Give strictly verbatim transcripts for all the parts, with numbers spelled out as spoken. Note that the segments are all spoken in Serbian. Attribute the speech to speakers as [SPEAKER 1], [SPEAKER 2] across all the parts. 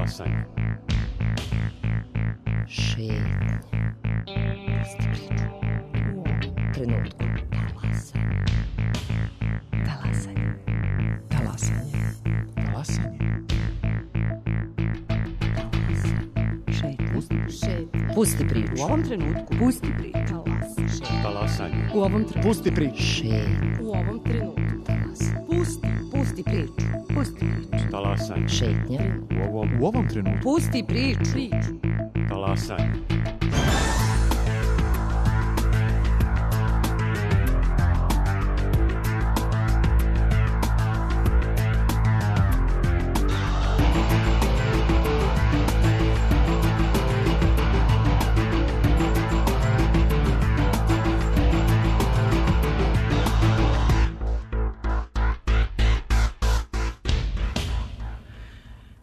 [SPEAKER 1] Talasanje.
[SPEAKER 2] Šetnja. Pusti priču. U ovom trenutku. Talasanje. Talasanje. Talasanje.
[SPEAKER 1] Talasanje.
[SPEAKER 2] Šetnja.
[SPEAKER 3] Šetnja.
[SPEAKER 2] Pusti priču.
[SPEAKER 3] U ovom trenutku.
[SPEAKER 2] Pusti priču.
[SPEAKER 3] Talasanje.
[SPEAKER 1] Talasanje.
[SPEAKER 3] U ovom trenutku.
[SPEAKER 1] Pusti priču.
[SPEAKER 2] Šetnja.
[SPEAKER 3] U ovom trenutku.
[SPEAKER 2] Talasanje.
[SPEAKER 3] Pusti. Pusti priču. Pusti priču.
[SPEAKER 1] Talasanje.
[SPEAKER 2] Šetnja.
[SPEAKER 1] U ovom, u ovom trenutku.
[SPEAKER 3] Pusti priču. Priču.
[SPEAKER 1] Talasanje.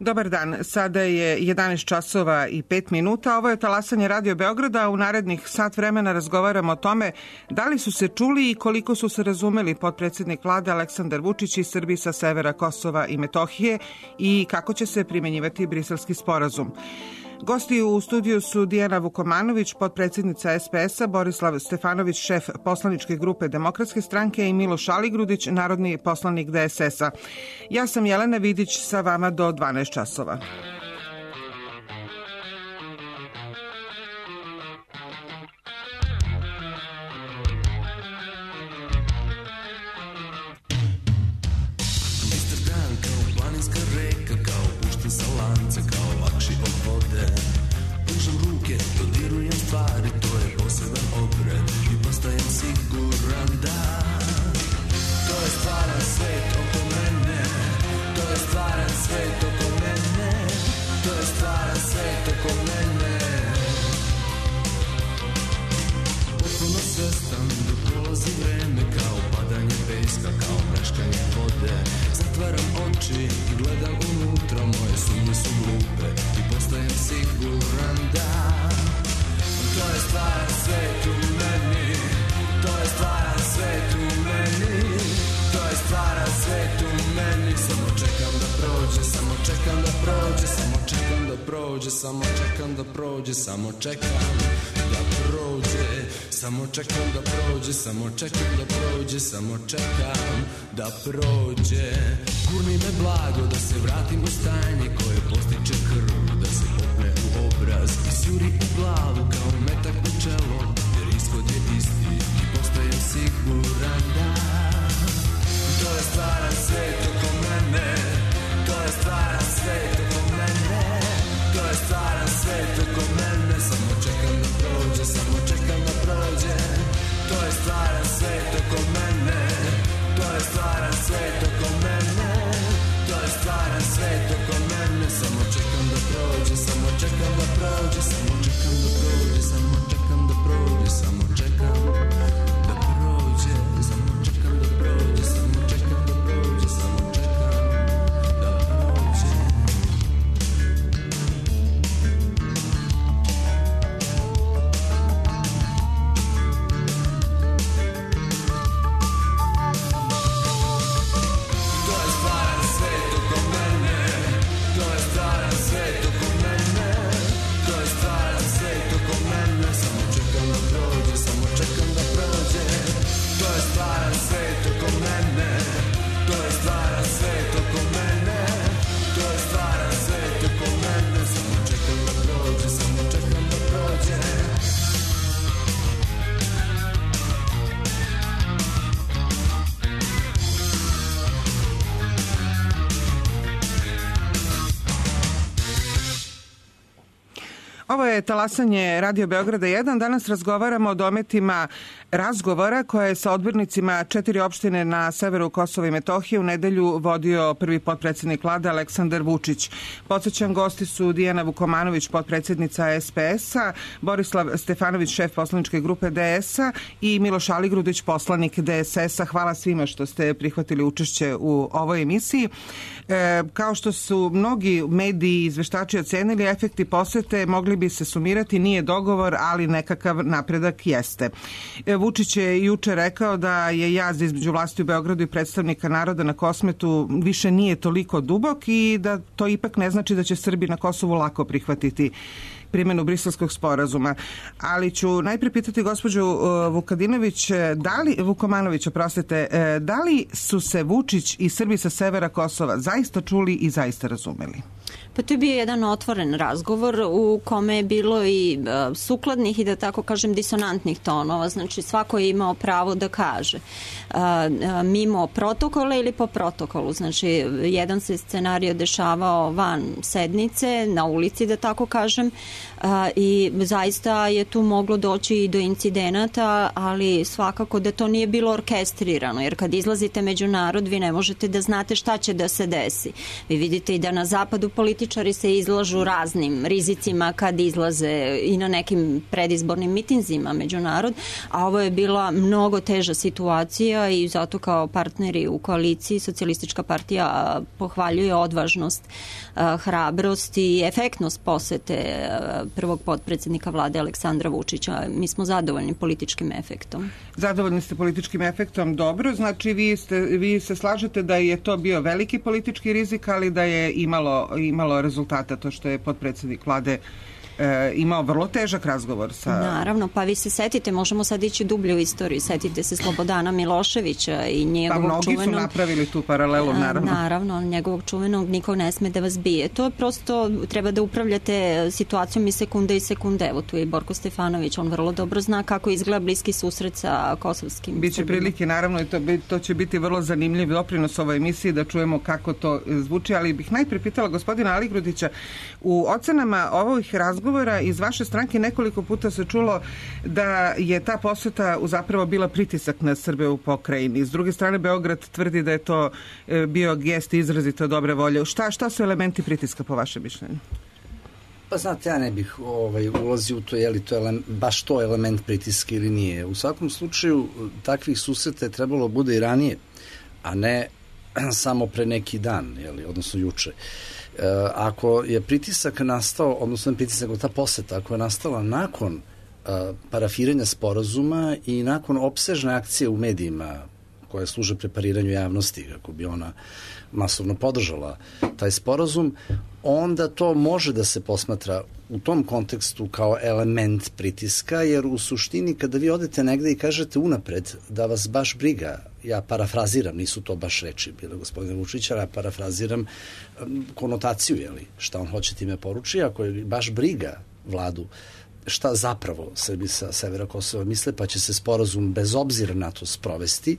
[SPEAKER 4] Dobar dan, sada je jedanaest časova i pet minuta. Ovo je Talasanje Radio Beograda. U narednih sat vremena razgovaramo o tome da li su se čuli i koliko su se razumeli potpredsednik vlade Aleksandar Vučić i Srbi sa severa Kosova i Metohije i kako će se primenjivati Briselski sporazum. Gosti u studiju su Dijana Vukomanović, potpredsjednica es pe es a, Borislav Stefanović, šef poslaničke grupe Demokratske stranke i Miloš Aligrudić, narodni poslanik de es es a. Ja sam Jelena Vidić, sa vama do dvanaest časova.
[SPEAKER 5] Samo čekam da prođe, samo čekam da prođe, samo čekam da prođe, samo čekam da prođe, samo čekam da prođe. Gurni me blago da se vratim u stanje koje postiče krv, da se popne u obraz i sjuri u glavu kao metak u čelo, jer ishod je isti i postajem siguran da to je stvaran svet oko mene, to je stvaran svet oko mene. To je stvaran svet oko mene, samo čekam da prođe, samo čekam da prođe. To je stvaran svet oko mene, to je stvaran svet oko mene. To je stvaran svet oko mene, samo čekam da prođe, samo čekam da prođe, samo čekam da prođe, samo čekam da prođe, samo čekam da prođe, samo čekam da prođe, samo čekam da prođe, samo čekam.
[SPEAKER 4] Ovo je Talasanje Radio Beograda jedan. Danas razgovaramo o dometima razgovora koje je sa odbornicima četiri opštine na severu Kosova i Metohije u nedelju vodio prvi potpredsjednik vlade Aleksandar Vučić. Podsećam, gosti su Dijana Vukomanović, potpredsjednica es pe es a, Borislav Stefanović, šef poslaničke grupe de es a i Miloš Aligrudić, poslanik de es es a. Hvala svima što ste prihvatili učešće u ovoj emisiji. E, kao što su mnogi mediji i izveštači ocenili, efekti posete mogli bi se sumirati, nije dogovor, ali nekakav napredak jeste. Vučić je juče rekao da je jaz između vlasti u Beogradu i predstavnika naroda na Kosmetu više nije toliko dubok i da to ipak ne znači da će Srbi na Kosovu lako prihvatiti primjenu Briselskog sporazuma. Ali ću najprije pitati gospođu Vukadinović, da li, Vukomanović, oprostite, da li su se Vučić i Srbi sa severa Kosova zaista čuli i zaista razumeli?
[SPEAKER 6] Pa to je bio jedan otvoren razgovor u kome je bilo i uh, sukladnih i da tako kažem disonantnih tonova, znači svako je imao pravo da kaže uh, uh, mimo protokola ili po protokolu, znači jedan se scenario dešavao van sednice, na ulici da tako kažem, uh, i zaista je tu moglo doći i do incidenata, ali svakako da to nije bilo orkestrirano, jer kad izlazite među narod vi ne možete da znate šta će da se desi. Vi vidite i da na zapadu političari se izlažu raznim rizicima kad izlaze i na nekim predizbornim mitinzima među narod, a ovo je bila mnogo teža situacija i zato kao partneri u koaliciji Socijalistička partija pohvaljuje odvažnost, hrabrost i efektnost posete prvog potpredsednika vlade Aleksandra Vučića. Mi smo zadovoljni političkim efektom.
[SPEAKER 4] Zadovoljni ste političkim efektom, dobro. Znači vi, ste, vi se slažete da je to bio veliki politički rizik, ali da je imalo, imalo rezultata to što je potpredsednik vlade e, imao vrlo težak razgovor sa...
[SPEAKER 6] Naravno, pa vi se setite, možemo sad ići dublje u istoriju, setite se Slobodana Miloševića i njegovog
[SPEAKER 4] čuvenog... Pa mnogi
[SPEAKER 6] čuvenog,
[SPEAKER 4] su napravili tu paralelu, naravno.
[SPEAKER 6] Naravno, njegovog čuvenog niko ne sme da vas bije. To je prosto, treba da upravljate situacijom i sekunde i sekunde. Evo tu je i Borko Stefanović, on vrlo dobro zna kako izgleda bliski susret sa kosovskim
[SPEAKER 4] Biće
[SPEAKER 6] Srbima.
[SPEAKER 4] prilike, naravno, i to, to će biti vrlo zanimljiv doprinos ovoj emisiji da čujemo kako to zvuči, ali bih najpre pitala gospodina Aligrudića, u ocenama ovih razgovora iz vaše stranke nekoliko puta se čulo da je ta poseta zapravo bila pritisak na Srbe u pokrajini. S druge strane, Beograd tvrdi da je to bio gest izrazito dobre volje. Šta, šta su elementi pritiska po vašem mišljenju?
[SPEAKER 7] Pa znate, ja ne bih ovaj, ulazio u to, je li to ele, baš to element pritiska ili nije. U svakom slučaju, takvih susreta je trebalo bude i ranije, a ne samo pre neki dan, je li, odnosno juče. E, ako je pritisak nastao, odnosno pritisak ta poseta, ako je nastala nakon a, parafiranja sporazuma i nakon opsežne akcije u medijima koje služe prepariranju javnosti, kako bi ona masovno podržala taj sporazum, onda to može da se posmatra u tom kontekstu kao element pritiska, jer u suštini kada vi odete negde i kažete unapred da vas baš briga, ja parafraziram, nisu to baš reči bile gospodina Vučića, ja parafraziram konotaciju, jeli, šta on hoće time poruči, ako je baš briga vladu šta zapravo Srbi sa severa Kosova misle, pa će se sporazum bez obzira na to sprovesti,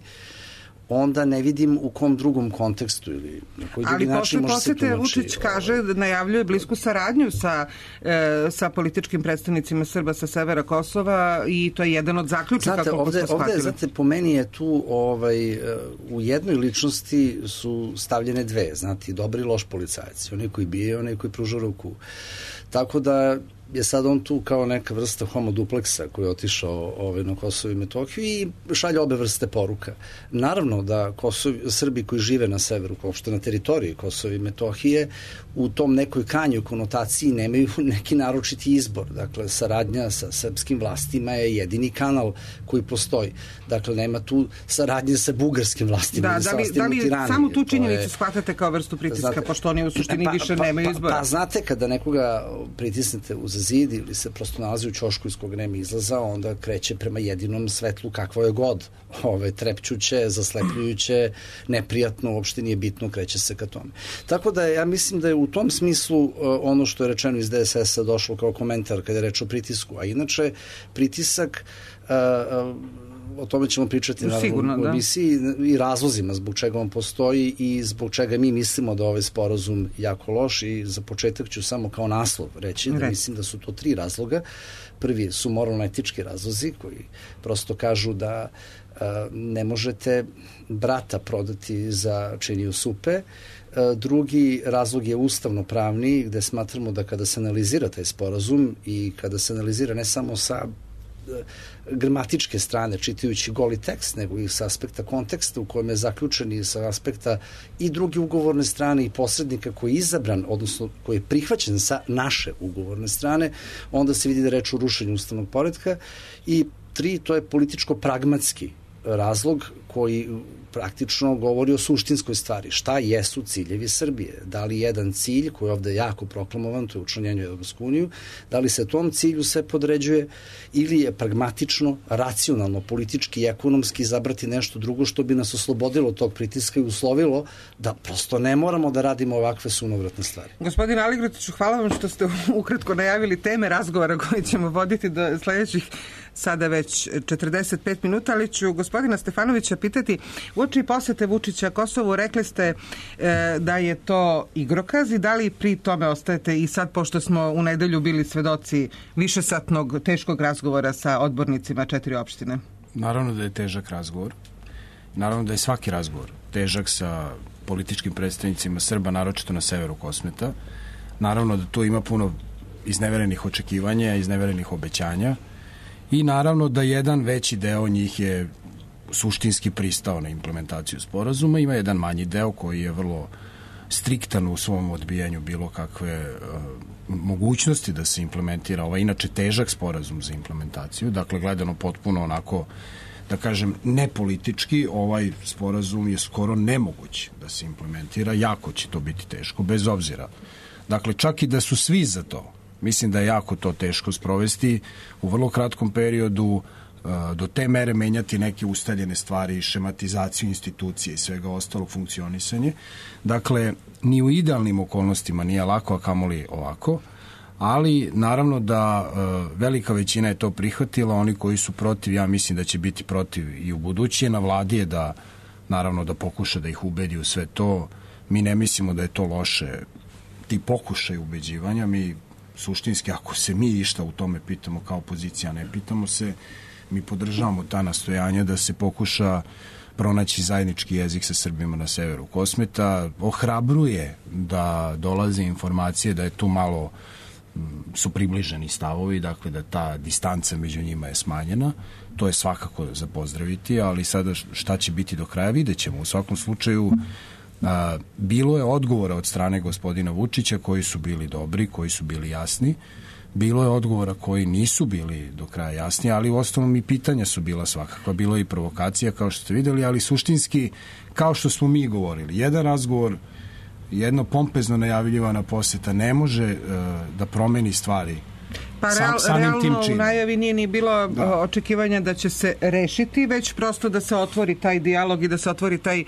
[SPEAKER 7] onda ne vidim u kom drugom kontekstu ili na koji drugi način može se tumači. Ali posle posete Vučić kaže, najavljuje blisku saradnju sa, e, sa političkim predstavnicima Srba sa severa Kosova i to je jedan od zaključaka. Znate, ovde, ovde, znate, po meni je tu ovaj, u jednoj ličnosti su stavljene dve, znate, dobri i loš policajac, onaj koji bije, onaj koji pruža ruku. Tako da je sad on tu kao neka vrsta homo dupleksa koji je otišao ovaj, na Kosovo i Metohiju i šalje obe vrste poruka. Naravno da Kosovo, Srbi koji žive na severu, uopšte na teritoriji Kosova i Metohije, u tom nekoj kanju konotaciji nemaju neki naročiti izbor. Dakle, saradnja sa srpskim vlastima je jedini kanal koji postoji. Dakle, nema tu saradnje sa bugarskim vlastima.
[SPEAKER 4] Da, da li, da li samo tu činjenicu je, shvatate kao vrstu pritiska, znate, pošto oni u suštini pa, više pa, nemaju izbora?
[SPEAKER 7] Pa, pa znate, kada nekoga pritisnete uz zid ili se prosto nalazi u ćošku iz kog nema izlaza, onda kreće prema jedinom svetlu kakvo je god. Ove, trepćuće, zaslepljujuće, neprijatno, uopšte nije bitno, kreće se ka tome. Tako da ja mislim da je u tom smislu uh, ono što je rečeno iz D S S-a došlo kao komentar kada je reč o pritisku. A inače, pritisak uh, uh, o tome ćemo pričati
[SPEAKER 4] Sigurno,
[SPEAKER 7] naravno, u emisiji i razlozima zbog čega on postoji i zbog čega mi mislimo da ovaj sporazum jako loš i za početak ću samo kao naslov reći da Re. mislim da su to tri razloga. Prvi su moralno-etički razlozi koji prosto kažu da a, ne možete brata prodati za činiju supe. A, drugi razlog je ustavno-pravni gde smatramo da kada se analizira taj sporazum i kada se analizira ne samo sa gramatičke strane, čitajući goli tekst, nego i sa aspekta konteksta u kojem je zaključen i sa aspekta i druge ugovorne strane i posrednika koji je izabran, odnosno koji je prihvaćen sa naše ugovorne strane, onda se vidi da reč o rušenju ustavnog poretka i tri, to je političko-pragmatski razlog koji praktično govori o suštinskoj stvari. Šta jesu ciljevi Srbije? Da li jedan cilj koji je ovde jako proklamovan, to je učlanjenje u Evropsku uniju, da li se tom cilju sve podređuje ili je pragmatično, racionalno, politički i ekonomski izabrati nešto drugo što bi nas oslobodilo tog pritiska i uslovilo da prosto ne moramo da radimo ovakve sunovratne stvari.
[SPEAKER 4] Gospodin Aligrotiću, hvala vam što ste ukratko najavili teme razgovora koje ćemo voditi do sledećih sada već četrdeset pet minuta, ali ću gospodina Stefanovića pitati, uoči posete Vučića Kosovu, rekli ste e, da je to igrokaz i da li pri tome ostajete i sad, pošto smo u nedelju bili svedoci višesatnog teškog razgovora sa odbornicima četiri opštine?
[SPEAKER 8] Naravno da je težak razgovor. Naravno da je svaki razgovor težak sa političkim predstavnicima Srba, naročito na severu Kosmeta. Naravno da tu ima puno izneverenih očekivanja, izneverenih obećanja. I naravno da jedan veći deo njih je suštinski pristao na implementaciju sporazuma, ima jedan manji deo koji je vrlo striktan u svom odbijanju bilo kakve uh, mogućnosti da se implementira ovaj inače težak sporazum za implementaciju, dakle gledano potpuno onako, da kažem, nepolitički, ovaj sporazum je skoro nemoguć da se implementira, jako će to biti teško, bez obzira. Dakle, čak i da su svi za to, mislim da je jako to teško sprovesti u vrlo kratkom periodu, do te mere menjati neke ustaljene stvari, šematizaciju institucije i svega ostalog, funkcionisanje. Dakle, ni u idealnim okolnostima nije lako, a kamoli ovako, ali naravno da velika većina je to prihvatila, oni koji su protiv, ja mislim da će biti protiv i u buduće. Na vladi je da, naravno, da pokuša da ih ubedi u sve to. Mi ne mislimo da je to loše, ti pokušaj ubeđivanja, mi suštinski, ako se mi išta u tome pitamo kao opozicija, ne pitamo se, mi podržavamo ta nastojanja da se pokuša pronaći zajednički jezik sa Srbima na severu Kosmeta. Ohrabruje da dolaze informacije da je tu malo su približeni stavovi, dakle da ta distanca među njima je smanjena. To je svakako za pozdraviti, ali sada šta će biti do kraja vidjet ćemo. U svakom slučaju a, bilo je odgovora od strane gospodina Vučića koji su bili dobri, koji su bili jasni. Bilo je odgovora koji nisu bili do kraja jasni, ali u osnovom i pitanja su bila svakakva. Bilo je i provokacija, kao što ste videli, ali suštinski, kao što smo mi govorili, jedan razgovor, jedno pompezno najavljivana poseta ne može uh, da promeni stvari.
[SPEAKER 4] Pa real,
[SPEAKER 8] Sam,
[SPEAKER 4] realno u najavi nije ni bilo da. očekivanja da će se rešiti, već prosto da se otvori taj dijalog i da se otvori taj e,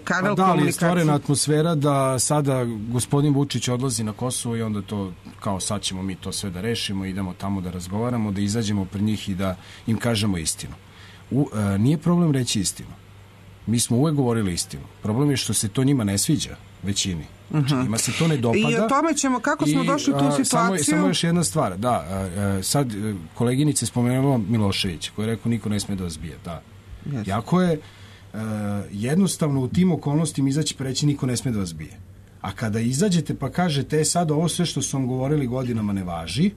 [SPEAKER 4] kanal
[SPEAKER 8] pa da,
[SPEAKER 4] komunikacije.
[SPEAKER 8] Da, ali je stvorena atmosfera da sada gospodin Vučić odlazi na Kosovo i onda to, kao sad ćemo mi to sve da rešimo, idemo tamo da razgovaramo, da izađemo pred njih i da im kažemo istinu. U, e, nije problem reći istinu. Mi smo uvek govorili istinu. Problem je što se to njima ne sviđa, većini. Znači, njima se to ne dopada.
[SPEAKER 4] I o tome ćemo, kako smo
[SPEAKER 8] I,
[SPEAKER 4] došli u tu situaciju.
[SPEAKER 8] Samo, samo još jedna stvar, da, a, a, sad koleginice spomenula Miloševića, koji je rekao niko ne sme da vas bije, da. Yes. Jako je a, jednostavno u tim okolnostima izaći pa reći niko ne sme da vas bije. A kada izađete pa kažete, e, sad ovo sve što su vam govorili godinama ne važi,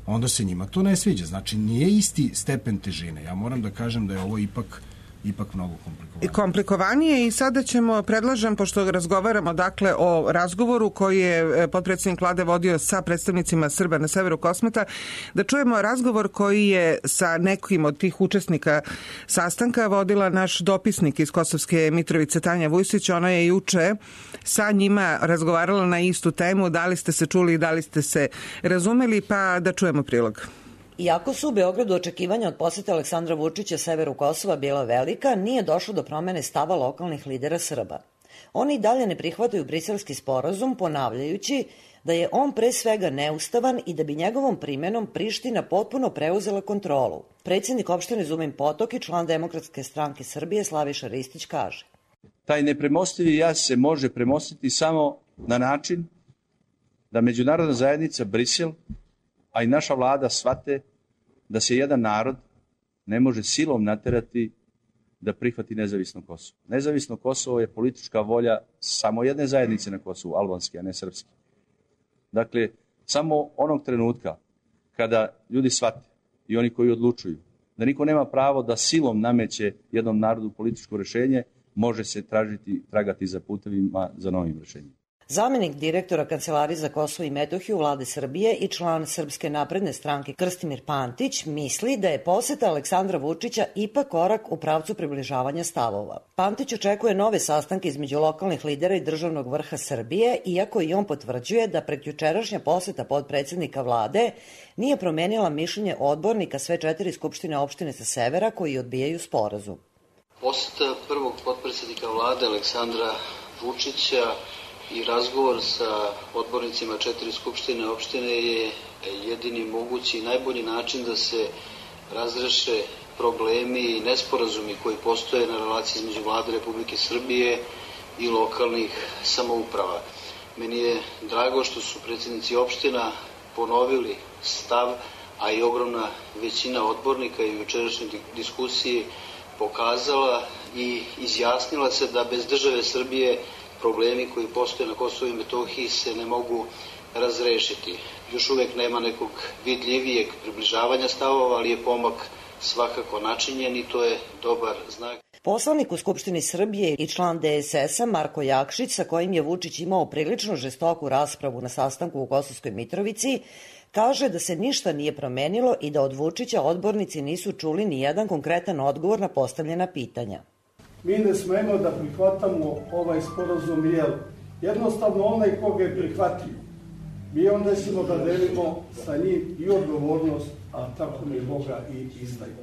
[SPEAKER 8] onda se njima to ne sviđa. Znači, nije isti stepen težine. Ja moram da kažem da je ovo ipak ipak mnogo komplikovanije.
[SPEAKER 4] I komplikovanije i sada ćemo, predlažem, pošto razgovaramo dakle o razgovoru koji je potpredsjednik vlade vodio sa predstavnicima Srba na severu Kosmeta, da čujemo razgovor koji je sa nekim od tih učesnika sastanka vodila naš dopisnik iz Kosovske Mitrovice Tanja Vujsić. Ona je juče sa njima razgovarala na istu temu, da li ste se čuli i da li ste se razumeli, pa da čujemo prilog.
[SPEAKER 9] Iako su u Beogradu očekivanja od posete Aleksandra Vučića severu Kosova bila velika, nije došlo do promene stava lokalnih lidera Srba. Oni i dalje ne prihvataju briselski sporazum, ponavljajući da je on pre svega neustavan i da bi njegovom primenom Priština potpuno preuzela kontrolu. Predsjednik opštine Zumin Potok i član Demokratske stranke Srbije Slaviša Ristić kaže:
[SPEAKER 10] Taj nepremostivi jaz se može premostiti samo na način da međunarodna zajednica, Brisel, a i naša vlada shvate da se jedan narod ne može silom naterati da prihvati nezavisno Kosovo. Nezavisno Kosovo je politička volja samo jedne zajednice na Kosovu, albanske, a ne srpske. Dakle, samo onog trenutka kada ljudi shvate i oni koji odlučuju da niko nema pravo da silom nameće jednom narodu političko rešenje, može se tražiti, tragati za putevima za novim rešenjem.
[SPEAKER 9] Zamenik direktora Kancelarije za Kosovo i Metohiju Vlade Srbije i član Srpske napredne stranke Krstimir Pantić misli da je poseta Aleksandra Vučića ipak korak u pravcu približavanja stavova. Pantić očekuje nove sastanke između lokalnih lidera i državnog vrha Srbije, iako i on potvrđuje da prekjučerašnja poseta podpredsednika Vlade nije promenila mišljenje odbornika sve četiri skupštine opštine sa severa koji odbijaju sporazum.
[SPEAKER 11] Poseta prvog potpredsednika Vlade Aleksandra Vučića i razgovor sa odbornicima četiri skupštine opštine je jedini mogući i najbolji način da se razreše problemi i nesporazumi koji postoje na relaciji između Vlade Republike Srbije i lokalnih samouprava. Meni je drago što su predsjednici opština ponovili stav, a i ogromna većina odbornika i u jučerašnjoj diskusiji pokazala i izjasnila se da bez države Srbije problemi koji postoje na Kosovu i Metohiji se ne mogu razrešiti. Još uvek nema nekog vidljivijeg približavanja stavova, ali je pomak svakako načinjen i to je dobar znak.
[SPEAKER 9] Poslanik u Skupštini Srbije i član D S S-a Marko Jakšić, sa kojim je Vučić imao prilično žestoku raspravu na sastanku u Kosovskoj Mitrovici, kaže da se ništa nije promenilo i da od Vučića odbornici nisu čuli ni jedan konkretan odgovor na postavljena pitanja.
[SPEAKER 12] Mi ne smemo da prihvatamo ovaj sporazum, jer jednostavno onaj koga je prihvatio, mi onda ćemo da delimo sa njim i odgovornost, a tako mi Boga i izdaju.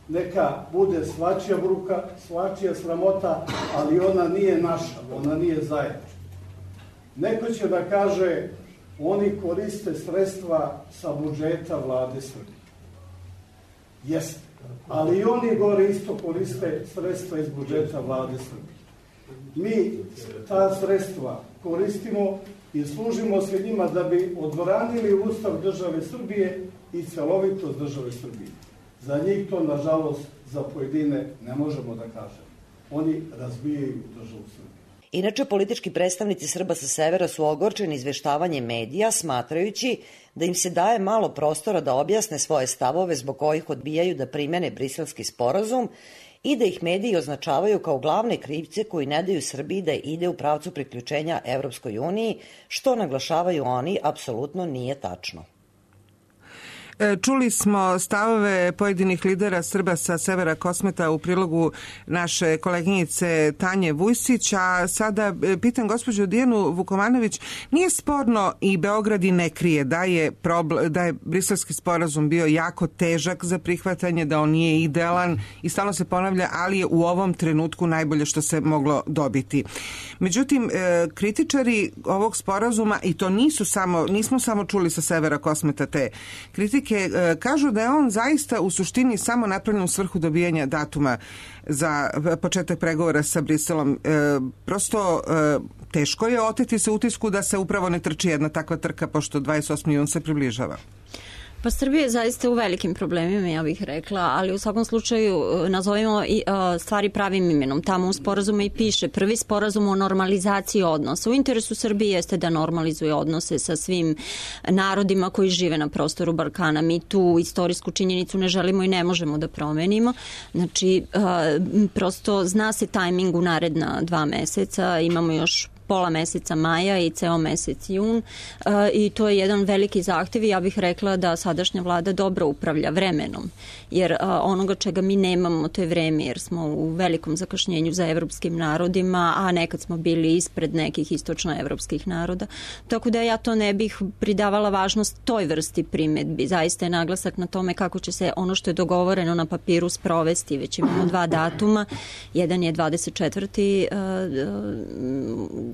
[SPEAKER 12] Neka bude svačija bruka, svačija sramota, ali ona nije naša, ona nije zajednička. Neko će da kaže, oni koriste sredstva sa budžeta Vlade Srbije. Jeste, ali i oni gore isto koriste sredstva iz budžeta Vlade Srbije. Mi ta sredstva koristimo i služimo se njima da bi odbranili Ustav države Srbije i celovitost države Srbije. Za njih to, nažalost, za pojedine ne možemo da kažemo. Oni razbijaju državu Srbije.
[SPEAKER 9] Inače, politički predstavnici Srba sa severa su ogorčeni izveštavanjem medija, smatrajući da im se daje malo prostora da objasne svoje stavove zbog kojih odbijaju da primene briselski sporazum i da ih mediji označavaju kao glavne krivce koji ne daju Srbiji da ide u pravcu priključenja Evropskoj uniji, što naglašavaju oni apsolutno nije tačno.
[SPEAKER 4] Čuli smo stavove pojedinih lidera Srba sa severa Kosmeta u prilogu naše koleginice Tanje Vujsić, a sada pitam gospođu Dijanu Vukomanović, nije sporno i Beograd i ne krije da je, problem, da je briselski sporazum bio jako težak za prihvatanje, da on nije idealan i stalno se ponavlja, ali je u ovom trenutku najbolje što se moglo dobiti. Međutim, kritičari ovog sporazuma, i to nisu samo, nismo samo čuli sa severa Kosmeta te kritike, kažu da je on zaista u suštini samo napravljen u svrhu dobijanja datuma za početak pregovora sa Briselom. Prosto teško je oteti se utisku da se upravo ne trči jedna takva trka, pošto dvadeset osmi jun se približava.
[SPEAKER 6] Pa Srbija je zaista u velikim problemima, ja bih rekla, ali u svakom slučaju nazovimo i stvari pravim imenom. Tamo u sporazumu i piše prvi sporazum o normalizaciji odnosa. U interesu Srbije jeste da normalizuje odnose sa svim narodima koji žive na prostoru Balkana. Mi tu istorijsku činjenicu ne želimo i ne možemo da promenimo. Znači, prosto zna se tajming u naredna dva meseca, imamo još pola meseca maja i ceo mesec jun i to je jedan veliki zahtev i ja bih rekla da sadašnja vlada dobro upravlja vremenom, jer onoga čega mi nemamo to je vreme, jer smo u velikom zakašnjenju za evropskim narodima, a nekad smo bili ispred nekih istočnoevropskih naroda, tako da ja to ne bih pridavala važnost toj vrsti primedbi. Zaista je naglasak na tome kako će se ono što je dogovoreno na papiru sprovesti. Već imamo dva datuma, jedan je dvadeset četvrti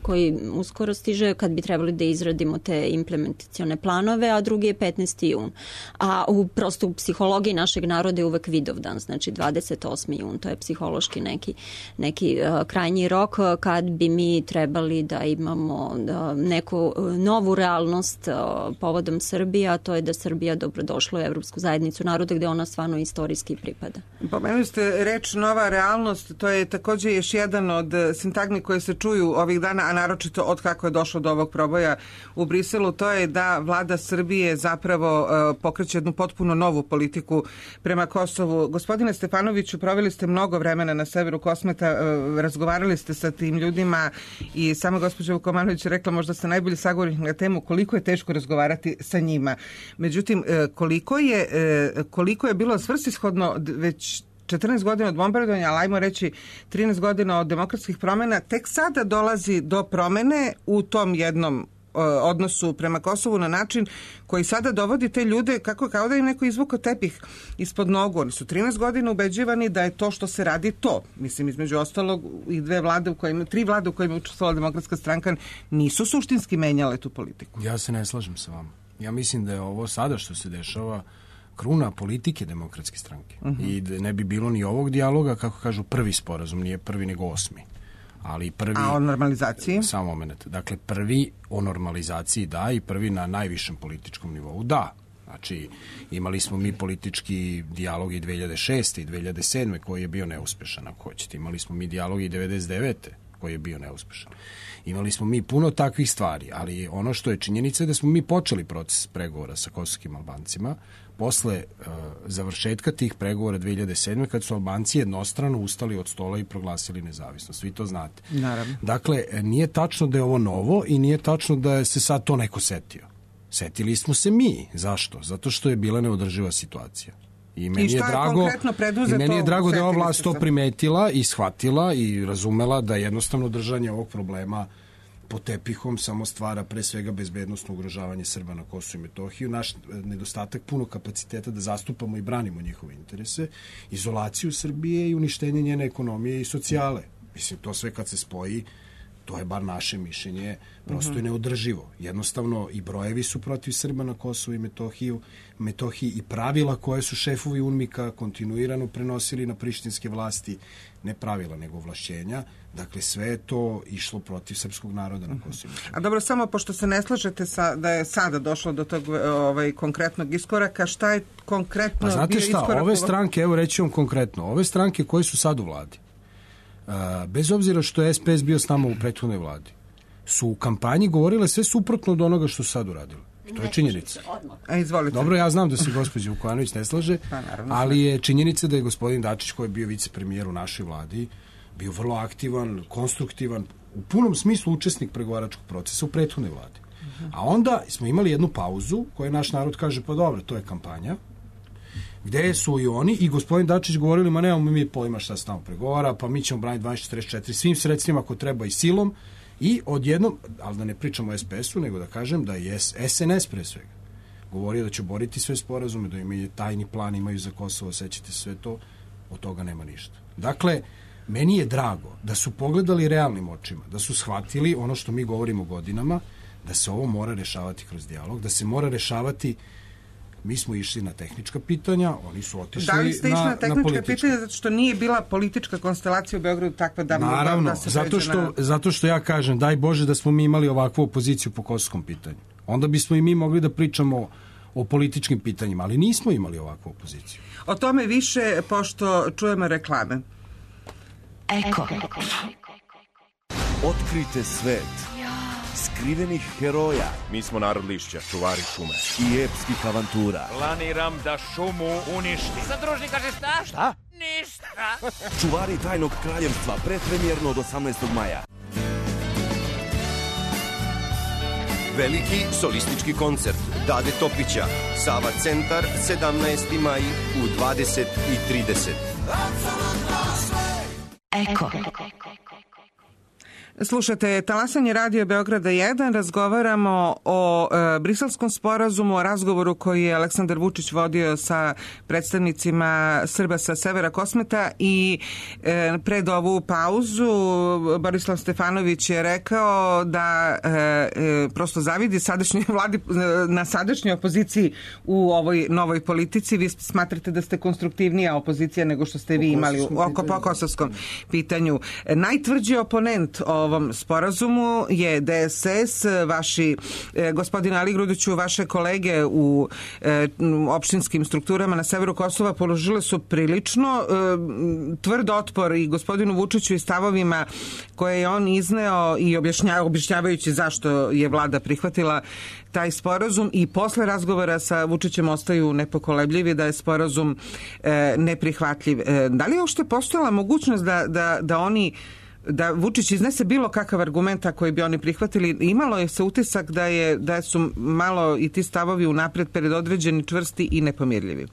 [SPEAKER 6] koji uskoro stiže kad bi trebali da izradimo te implementacione planove, a drugi je petnaesti jun. A u, prosto u psihologiji našeg naroda je uvek Vidovdan, znači dvadeset osmi jun, to je psihološki neki, neki uh, krajnji rok kad bi mi trebali da imamo uh, neku novu realnost uh, povodom Srbije, a to je da Srbija dobrodošla u Evropsku zajednicu naroda gde ona stvarno istorijski pripada.
[SPEAKER 4] Pomenuli ste reč nova realnost, to je takođe još jedan od sintagma sintagmi koje se čuju ovih dana, a naročito od kako je došlo do ovog proboja u Briselu, to je da vlada Srbije zapravo pokreće jednu potpuno novu politiku prema Kosovu. Gospodine Stefanoviću, proveli ste mnogo vremena na severu Kosmeta, razgovarali ste sa tim ljudima i sama gospođa Vukomanović je rekla, možda ste najbolji sagovornik na temu koliko je teško razgovarati sa njima. Međutim, koliko je, koliko je bilo svrsishodno već četrnaest godina od bombardovanja, ali ajmo reći trinaest godina od demokratskih promjena, tek sada dolazi do promene u tom jednom odnosu prema Kosovu na način koji sada dovodi te ljude kako kao da im neko izvukao tepih ispod nogu. Oni su trinaest godina ubeđivani da je to što se radi to. Mislim, između ostalog i dve vlade u kojima, tri vlade u kojima je učestvovala Demokratska stranka nisu suštinski menjale tu politiku.
[SPEAKER 8] Ja se ne slažem sa vama. Ja mislim da je ovo sada što se dešava kruna politike Demokratske stranke. Uh-huh. I da ne bi bilo ni ovog dijaloga, kako kažu, prvi sporazum, nije prvi nego osmi. Ali prvi...
[SPEAKER 4] A o normalizaciji?
[SPEAKER 8] Samo moment. Dakle, prvi o normalizaciji da i prvi na najvišem političkom nivou da. Znači, imali smo mi politički dijalog i dve hiljade šeste i dve hiljade sedme koji je bio neuspešan, ako hoćete. Imali smo mi dijalog i devedeset devete koji je bio neuspešan. Imali smo mi puno takvih stvari, ali ono što je činjenica je da smo mi počeli proces pregovora sa kosovskim Albancima posle uh, završetka tih pregovora dve hiljade sedme kad su Albanci jednostrano ustali od stola i proglasili nezavisnost. Vi to znate.
[SPEAKER 4] Naravno.
[SPEAKER 8] Dakle, nije tačno da je ovo novo i nije tačno da je se sad to neko setio. Setili smo se mi. Zašto? Zato što je bila neodrživa situacija. I meni
[SPEAKER 4] I
[SPEAKER 8] je drago, i meni je drago da je ova vlast to primetila i shvatila i razumela da jednostavno držanje ovog problema pod tepihom samo stvara pre svega bezbednostno ugrožavanje Srba na Kosovu i Metohiju, naš nedostatak puno kapaciteta da zastupamo i branimo njihove interese, izolaciju Srbije i uništenje njene ekonomije i socijale. Mislim, to sve kad se spoji, to je bar naše mišljenje, prosto je neodrživo. Jednostavno i brojevi su protiv Srba na Kosovu i Metohiju, Metohiji i pravila koje su šefovi UNMIK-a kontinuirano prenosili na prištinske vlasti, ne pravila nego ovlašćenja. Dakle, sve je to išlo protiv srpskog naroda na Kosovu.
[SPEAKER 4] A dobro, samo pošto se ne slažete sa, da je sada došlo do tog ovaj, konkretnog iskoraka, šta je konkretno
[SPEAKER 8] pa, znate
[SPEAKER 4] bio
[SPEAKER 8] šta,
[SPEAKER 4] iskorak?
[SPEAKER 8] Ove stranke, evo reći vam konkretno, ove stranke koje su sad u vladi, Uh, bez obzira što je S P S bio s nama u prethodnoj vladi, su u kampanji govorile sve suprotno od onoga što su sad uradili. To je činjenica.
[SPEAKER 4] A, izvolite.
[SPEAKER 8] Dobro, ja znam da se gospođa Vukovanović ne slaže,
[SPEAKER 4] pa, naravno,
[SPEAKER 8] ali je činjenica da je gospodin Dačić, koji je bio vicepremijer u našoj vladi, bio vrlo aktivan, konstruktivan, u punom smislu učesnik pregovaračkog procesa u prethodnoj vladi. Uh-huh. A onda smo imali jednu pauzu koju naš narod kaže, pa dobro, to je kampanja, gde su i oni i gospodin Dačić govorili, ma nemamo mi pojma šta se tamo pregovara, pa mi ćemo braniti dvanaest četrdeset četiri svim sredstvima ako treba i silom i odjednom, ali da ne pričamo o S P S-u, nego da kažem da je S N S pre svega govorio da će boriti sve sporazume, da imaju tajni plan, imaju za Kosovo, sećate sve to, od toga nema ništa. Dakle, meni je drago da su pogledali realnim očima, da su shvatili ono što mi govorimo godinama, da se ovo mora rešavati kroz dijalog, da se mora rešavati. Mi smo išli na tehnička pitanja, oni su otišli na,
[SPEAKER 4] da li ste išli na,
[SPEAKER 8] na
[SPEAKER 4] tehnička
[SPEAKER 8] na
[SPEAKER 4] pitanja zato što nije bila politička konstelacija u Beogradu takva da mogla
[SPEAKER 8] Naravno,
[SPEAKER 4] da se
[SPEAKER 8] zato što,
[SPEAKER 4] na...
[SPEAKER 8] zato što ja kažem, daj Bože da smo mi imali ovakvu opoziciju po kosovskom pitanju. Onda bismo i mi mogli da pričamo o političkim pitanjima, ali nismo imali ovakvu opoziciju.
[SPEAKER 4] O tome više, pošto čujemo reklame.
[SPEAKER 2] Eko.
[SPEAKER 13] Otkrite svet skrivenih heroja.
[SPEAKER 14] Mi smo narod lišća, čuvari šume.
[SPEAKER 13] I epskih avantura.
[SPEAKER 14] Planiram da šumu uništim.
[SPEAKER 15] Zadružni kaže šta?
[SPEAKER 13] Šta?
[SPEAKER 15] Ništa.
[SPEAKER 13] Čuvari tajnog kraljevstva, predpremjerno od osamnaestog maja.
[SPEAKER 16] Veliki solistički koncert Dade Topića, Sava centar, sedamnaesti maj u dvadeset i trideset.
[SPEAKER 2] Eko.
[SPEAKER 4] Slušate Talasanje Radio Beograda jedan, razgovaramo o e, briselskom sporazumu, o razgovoru koji je Aleksandar Vučić vodio sa predstavnicima Srba sa severa Kosmeta i e, pred ovu pauzu Borislav Stefanović je rekao da e, e, prosto zavidi sadašnjoj vladi na sadašnjoj opoziciji u ovoj novoj politici. Vi smatrate da ste konstruktivnija opozicija nego što ste vi imali oko po kosovskom pitanju. Najtvrđi oponent ovo ovom sporazumu je D S S, vaši, e, gospodine Ali Grudiću, vaše kolege u e, opštinskim strukturama na severu Kosova položile su prilično e, tvrd otpor i gospodinu Vučiću i stavovima koje je on izneo i objašnja, objašnjavajući zašto je vlada prihvatila taj sporazum i posle razgovora sa Vučićem ostaju nepokolebljivi da je sporazum e, neprihvatljiv. E, da li je uopšte postojala mogućnost da, da, da oni da Vučić iznese bilo kakav argumenta koji bi oni prihvatili? Imalo je se utisak da, je, da su malo i ti stavovi unapred predodređeni, čvrsti i nepomirljivi.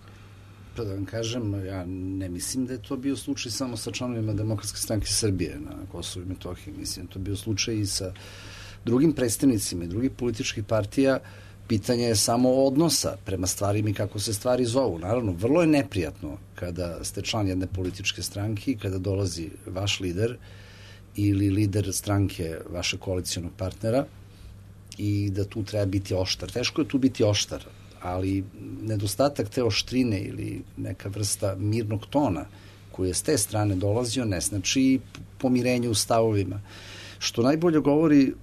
[SPEAKER 7] Da vam kažem, ja ne mislim da je to bio slučaj samo sa članovima Demokratske stranke Srbije na Kosovu i Metohiji. Mislim da je to bio slučaj i sa drugim predstavnicima i drugih političkih partija. Pitanje je samo odnosa prema stvarima i kako se stvari zovu. Naravno, vrlo je neprijatno kada ste član jedne političke stranke i kada dolazi vaš lider ili lider stranke vašeg koalicijonog partnera i da tu treba biti oštar. Teško je tu biti oštar, ali nedostatak te oštrine ili neka vrsta mirnog tona koji je s te strane dolazio ne znači pomirenje u stavovima. Što najbolje govori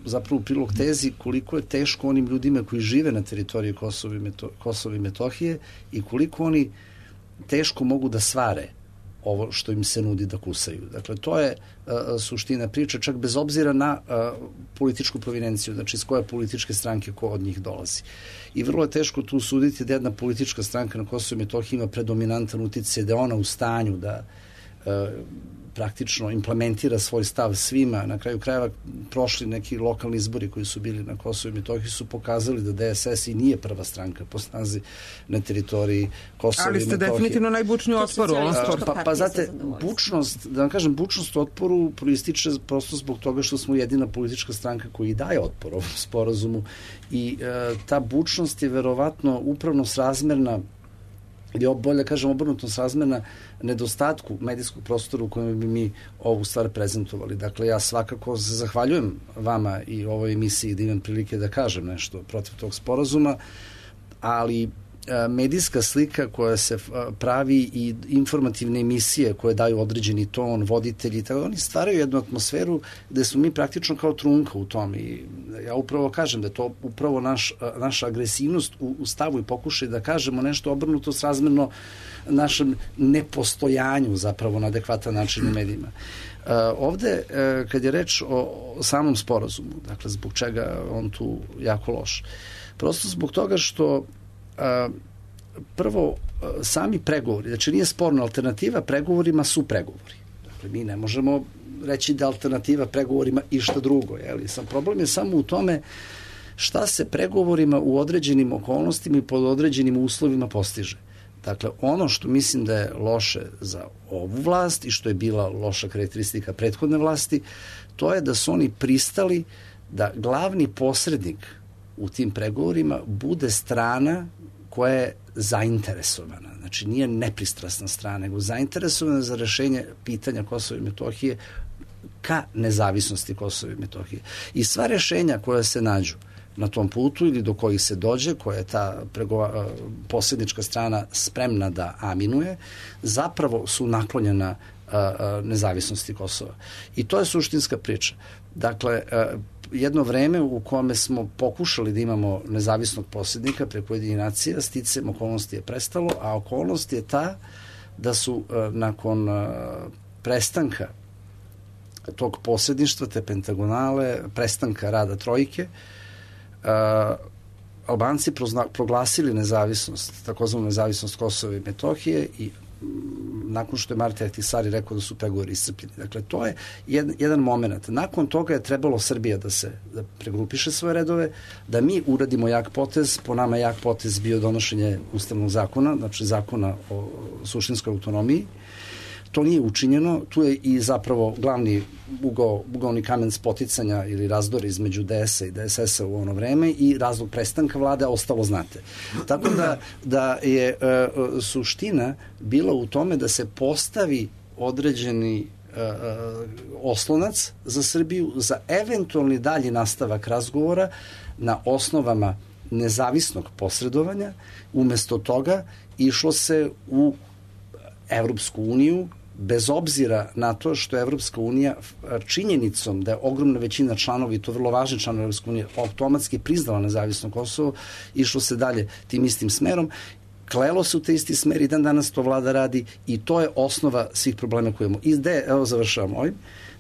[SPEAKER 7] zapravo u prilog tezi koliko je teško onim ljudima koji žive na teritoriji Kosova i, Meto, Kosova i Metohije i koliko oni teško mogu da svare ovo što im se nudi da kusaju. Dakle, to je uh, suština priče, čak bez obzira na uh, političku provinenciju, znači iz koje političke stranke ko od njih dolazi. I vrlo je teško tu suditi da jedna politička stranka na Kosovu i Metohiji ima predominantan uticaj, da je ona u stanju da uh, praktično implementira svoj stav svima. Na kraju krajeva prošli neki lokalni izbori koji su bili na Kosovu i Metohiji su pokazali da D S S i nije prva stranka po snazi na teritoriji Kosova i Metohije.
[SPEAKER 4] Ali ste definitivno najbučniji otpor u ovom sporu.
[SPEAKER 7] Pa, pa znate, bučnost, da vam kažem, bučnost otporu proističe prosto zbog toga što smo jedina politička stranka koji daje otpor ovom sporazumu i e, ta bučnost je verovatno upravno srazmerna ili bolje kažem obrnuto srazmerna nedostatku medijskog prostora u kojem bi mi ovu stvar prezentovali. Dakle, ja svakako se zahvaljujem vama i ovoj emisiji da imam prilike da kažem nešto protiv tog sporazuma, ali medijska slika koja se pravi i informativne emisije koje daju određeni ton, voditelji, tako oni stvaraju jednu atmosferu gde smo mi praktično kao trunka u tom i ja upravo kažem da je to upravo naš, naša agresivnost u, u stavu i pokušaj da kažemo nešto obrnuto srazmerno našem nepostojanju zapravo na adekvatan način u medijima. Uh, ovde, uh, kad je reč o, o samom sporazumu, dakle, zbog čega on tu jako loš? Prosto zbog toga što Uh, prvo, uh, sami pregovori, znači nije sporna alternativa, pregovorima su pregovori. Dakle, mi ne možemo reći da alternativa pregovorima išta drugo. Jeli? Sam problem je samo u tome šta se pregovorima u određenim okolnostima i pod određenim uslovima postiže. Dakle, ono što mislim da je loše za ovu vlast i što je bila loša karakteristika prethodne vlasti, to je da su oni pristali da glavni posrednik u tim pregovorima bude strana koja je zainteresovana. Znači, nije nepristrasna strana, nego zainteresovana za rešenje pitanja Kosova i Metohije ka nezavisnosti Kosova i Metohije. I sva rešenja koja se nađu na tom putu ili do kojih se dođe, koja je ta pregova, posrednička strana spremna da aminuje, zapravo su naklonjena a, a, nezavisnosti Kosova. I to je suštinska priča. Dakle, a, jedno vreme u kome smo pokušali da imamo nezavisnog posrednika preko Ujedinjenih nacija, sticajem okolnosti je prestalo, a okolnost je ta da su a, nakon a, prestanka tog posredništva, te pentagonale, prestanka rada trojke, a, Albanci proglasili nezavisnost, takozvanu nezavisnost Kosova i Metohije i nakon što je Marti Ahtisari rekao da su pregovori iscrpljeni. Dakle, to je jedan, jedan moment. Nakon toga je trebalo Srbija da se da pregrupiše svoje redove, da mi uradimo jak potez. Po nama jak potez bio donošenje ustavnog zakona, znači zakona o suštinskoj autonomiji. To nije učinjeno. Tu je i zapravo glavni ugao, ugaoni kamen spoticanja ili razdora između D S a i D S S a u ono vreme i razlog prestanka vlade ostalo znate. Tako da, da je e, suština bila u tome da se postavi određeni e, oslonac za Srbiju za eventualni dalji nastavak razgovora na osnovama nezavisnog posredovanja. Umesto toga išlo se u Evropsku uniju bez obzira na to što je Evropska unija činjenicom da je ogromna većina članova, i to vrlo važni članovi Evropske unije, automatski priznala nezavisno Kosovo, išlo se dalje tim istim smerom, klelo se u te isti smer i dan danas to vlada radi i to je osnova svih problema koje imamo. I gde, evo završavam ovim,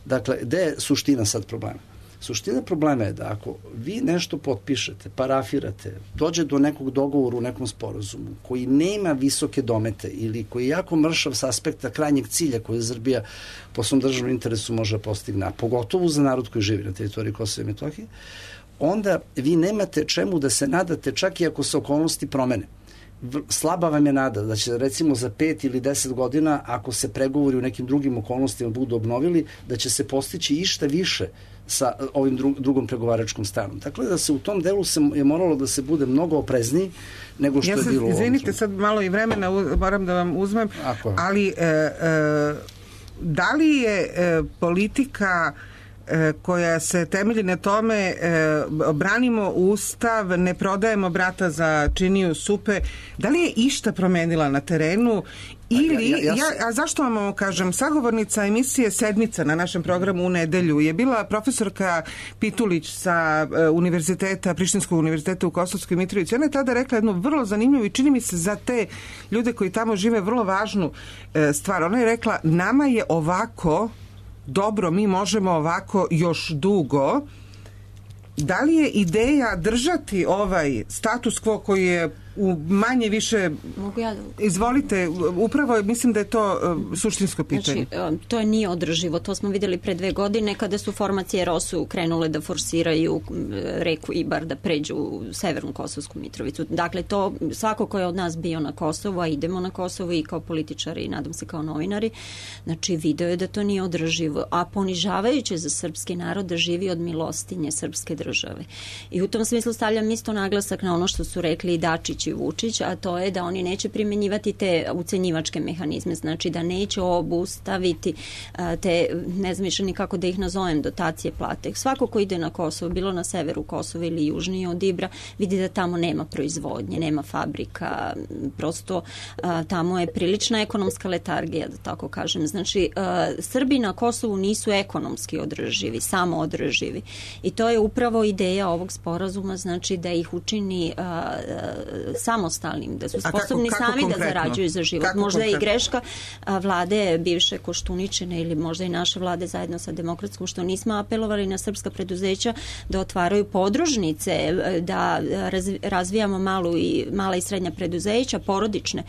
[SPEAKER 7] dakle, gde je suština sad problema? Suština problema je da ako vi nešto potpišete, parafirate, dođe do nekog dogovora u nekom sporazumu koji nema visoke domete ili koji je jako mršav s aspekta krajnjeg cilja koji Srbija po svom državnom interesu može postigne, a pogotovo za narod koji živi na teritoriji Kosova i Metohije, onda vi nemate čemu da se nadate čak i ako se okolnosti promene. Slaba vam je nada da će recimo za pet ili deset godina, ako se pregovori u nekim drugim okolnostima budu obnovili, da će se postići išta više sa ovim drugom pregovaračkom stranom. Dakle, da se u tom delu se je moralo da se bude mnogo oprezniji nego što
[SPEAKER 4] ja
[SPEAKER 7] je bilo u ovom.
[SPEAKER 4] Izvinite, sad malo i vremena moram da vam uzmem, Ako. ali e, e, da li je e, politika koja se temelji na tome e, branimo Ustav, ne prodajemo brata za činiju supe, da li je išta promenila na terenu ili, ja, ja, ja, ja, a zašto vam ovo kažem, sagovornica emisije Sedmica na našem programu u nedelju je bila profesorka Pitulić sa e, univerziteta, Prištinskog univerziteta u Kosovskoj Mitrovici. Ona je tada rekla jednu vrlo zanimljivu i čini mi se za te ljude koji tamo žive vrlo važnu e, stvar. Ona je rekla, nama je ovako dobro, mi možemo ovako još dugo. Da li je ideja držati ovaj status quo koji je u manje više...
[SPEAKER 6] Mogu ja da...
[SPEAKER 4] Izvolite, upravo mislim da je to uh, suštinsko pitanje.
[SPEAKER 6] Znači, to je nije održivo. To smo vidjeli pre dve godine kada su formacije Rosu krenule da forsiraju reku Ibar da pređu u severnu Kosovsku Mitrovicu. Dakle, to svako ko je od nas bio na Kosovu, a idemo na Kosovo i kao političari i nadam se kao novinari, znači video je da to nije održivo, a ponižavajuće za srpski narod da živi od milostinje srpske države. I u tom smislu stavljam isto naglasak na ono što su rekli i Dačić i Vučić, a to je da oni neće primjenjivati te ucenjivačke mehanizme, znači da neće obustaviti te, ne znam više nikako da ih nazovem, dotacije plate. Svako ko ide na Kosovo, bilo na severu Kosova ili južnije od Ibra, vidi da tamo nema proizvodnje, nema fabrika, prosto tamo je prilična ekonomska letargija, da tako kažem. Znači, Srbi na Kosovu nisu ekonomski održivi, samo održivi. I to je upravo ideja ovog sporazuma, znači da ih učini samostalnim, da su sposobni kako, kako sami konkretno? Da zarađuju za život. Kako možda konkretno? Je i greška vlade bivše Koštuničine ili možda i naše vlade zajedno sa Demokratskom, što nismo apelovali na srpska preduzeća da otvaraju podružnice, da razvijamo malu i, mala i srednja preduzeća, porodične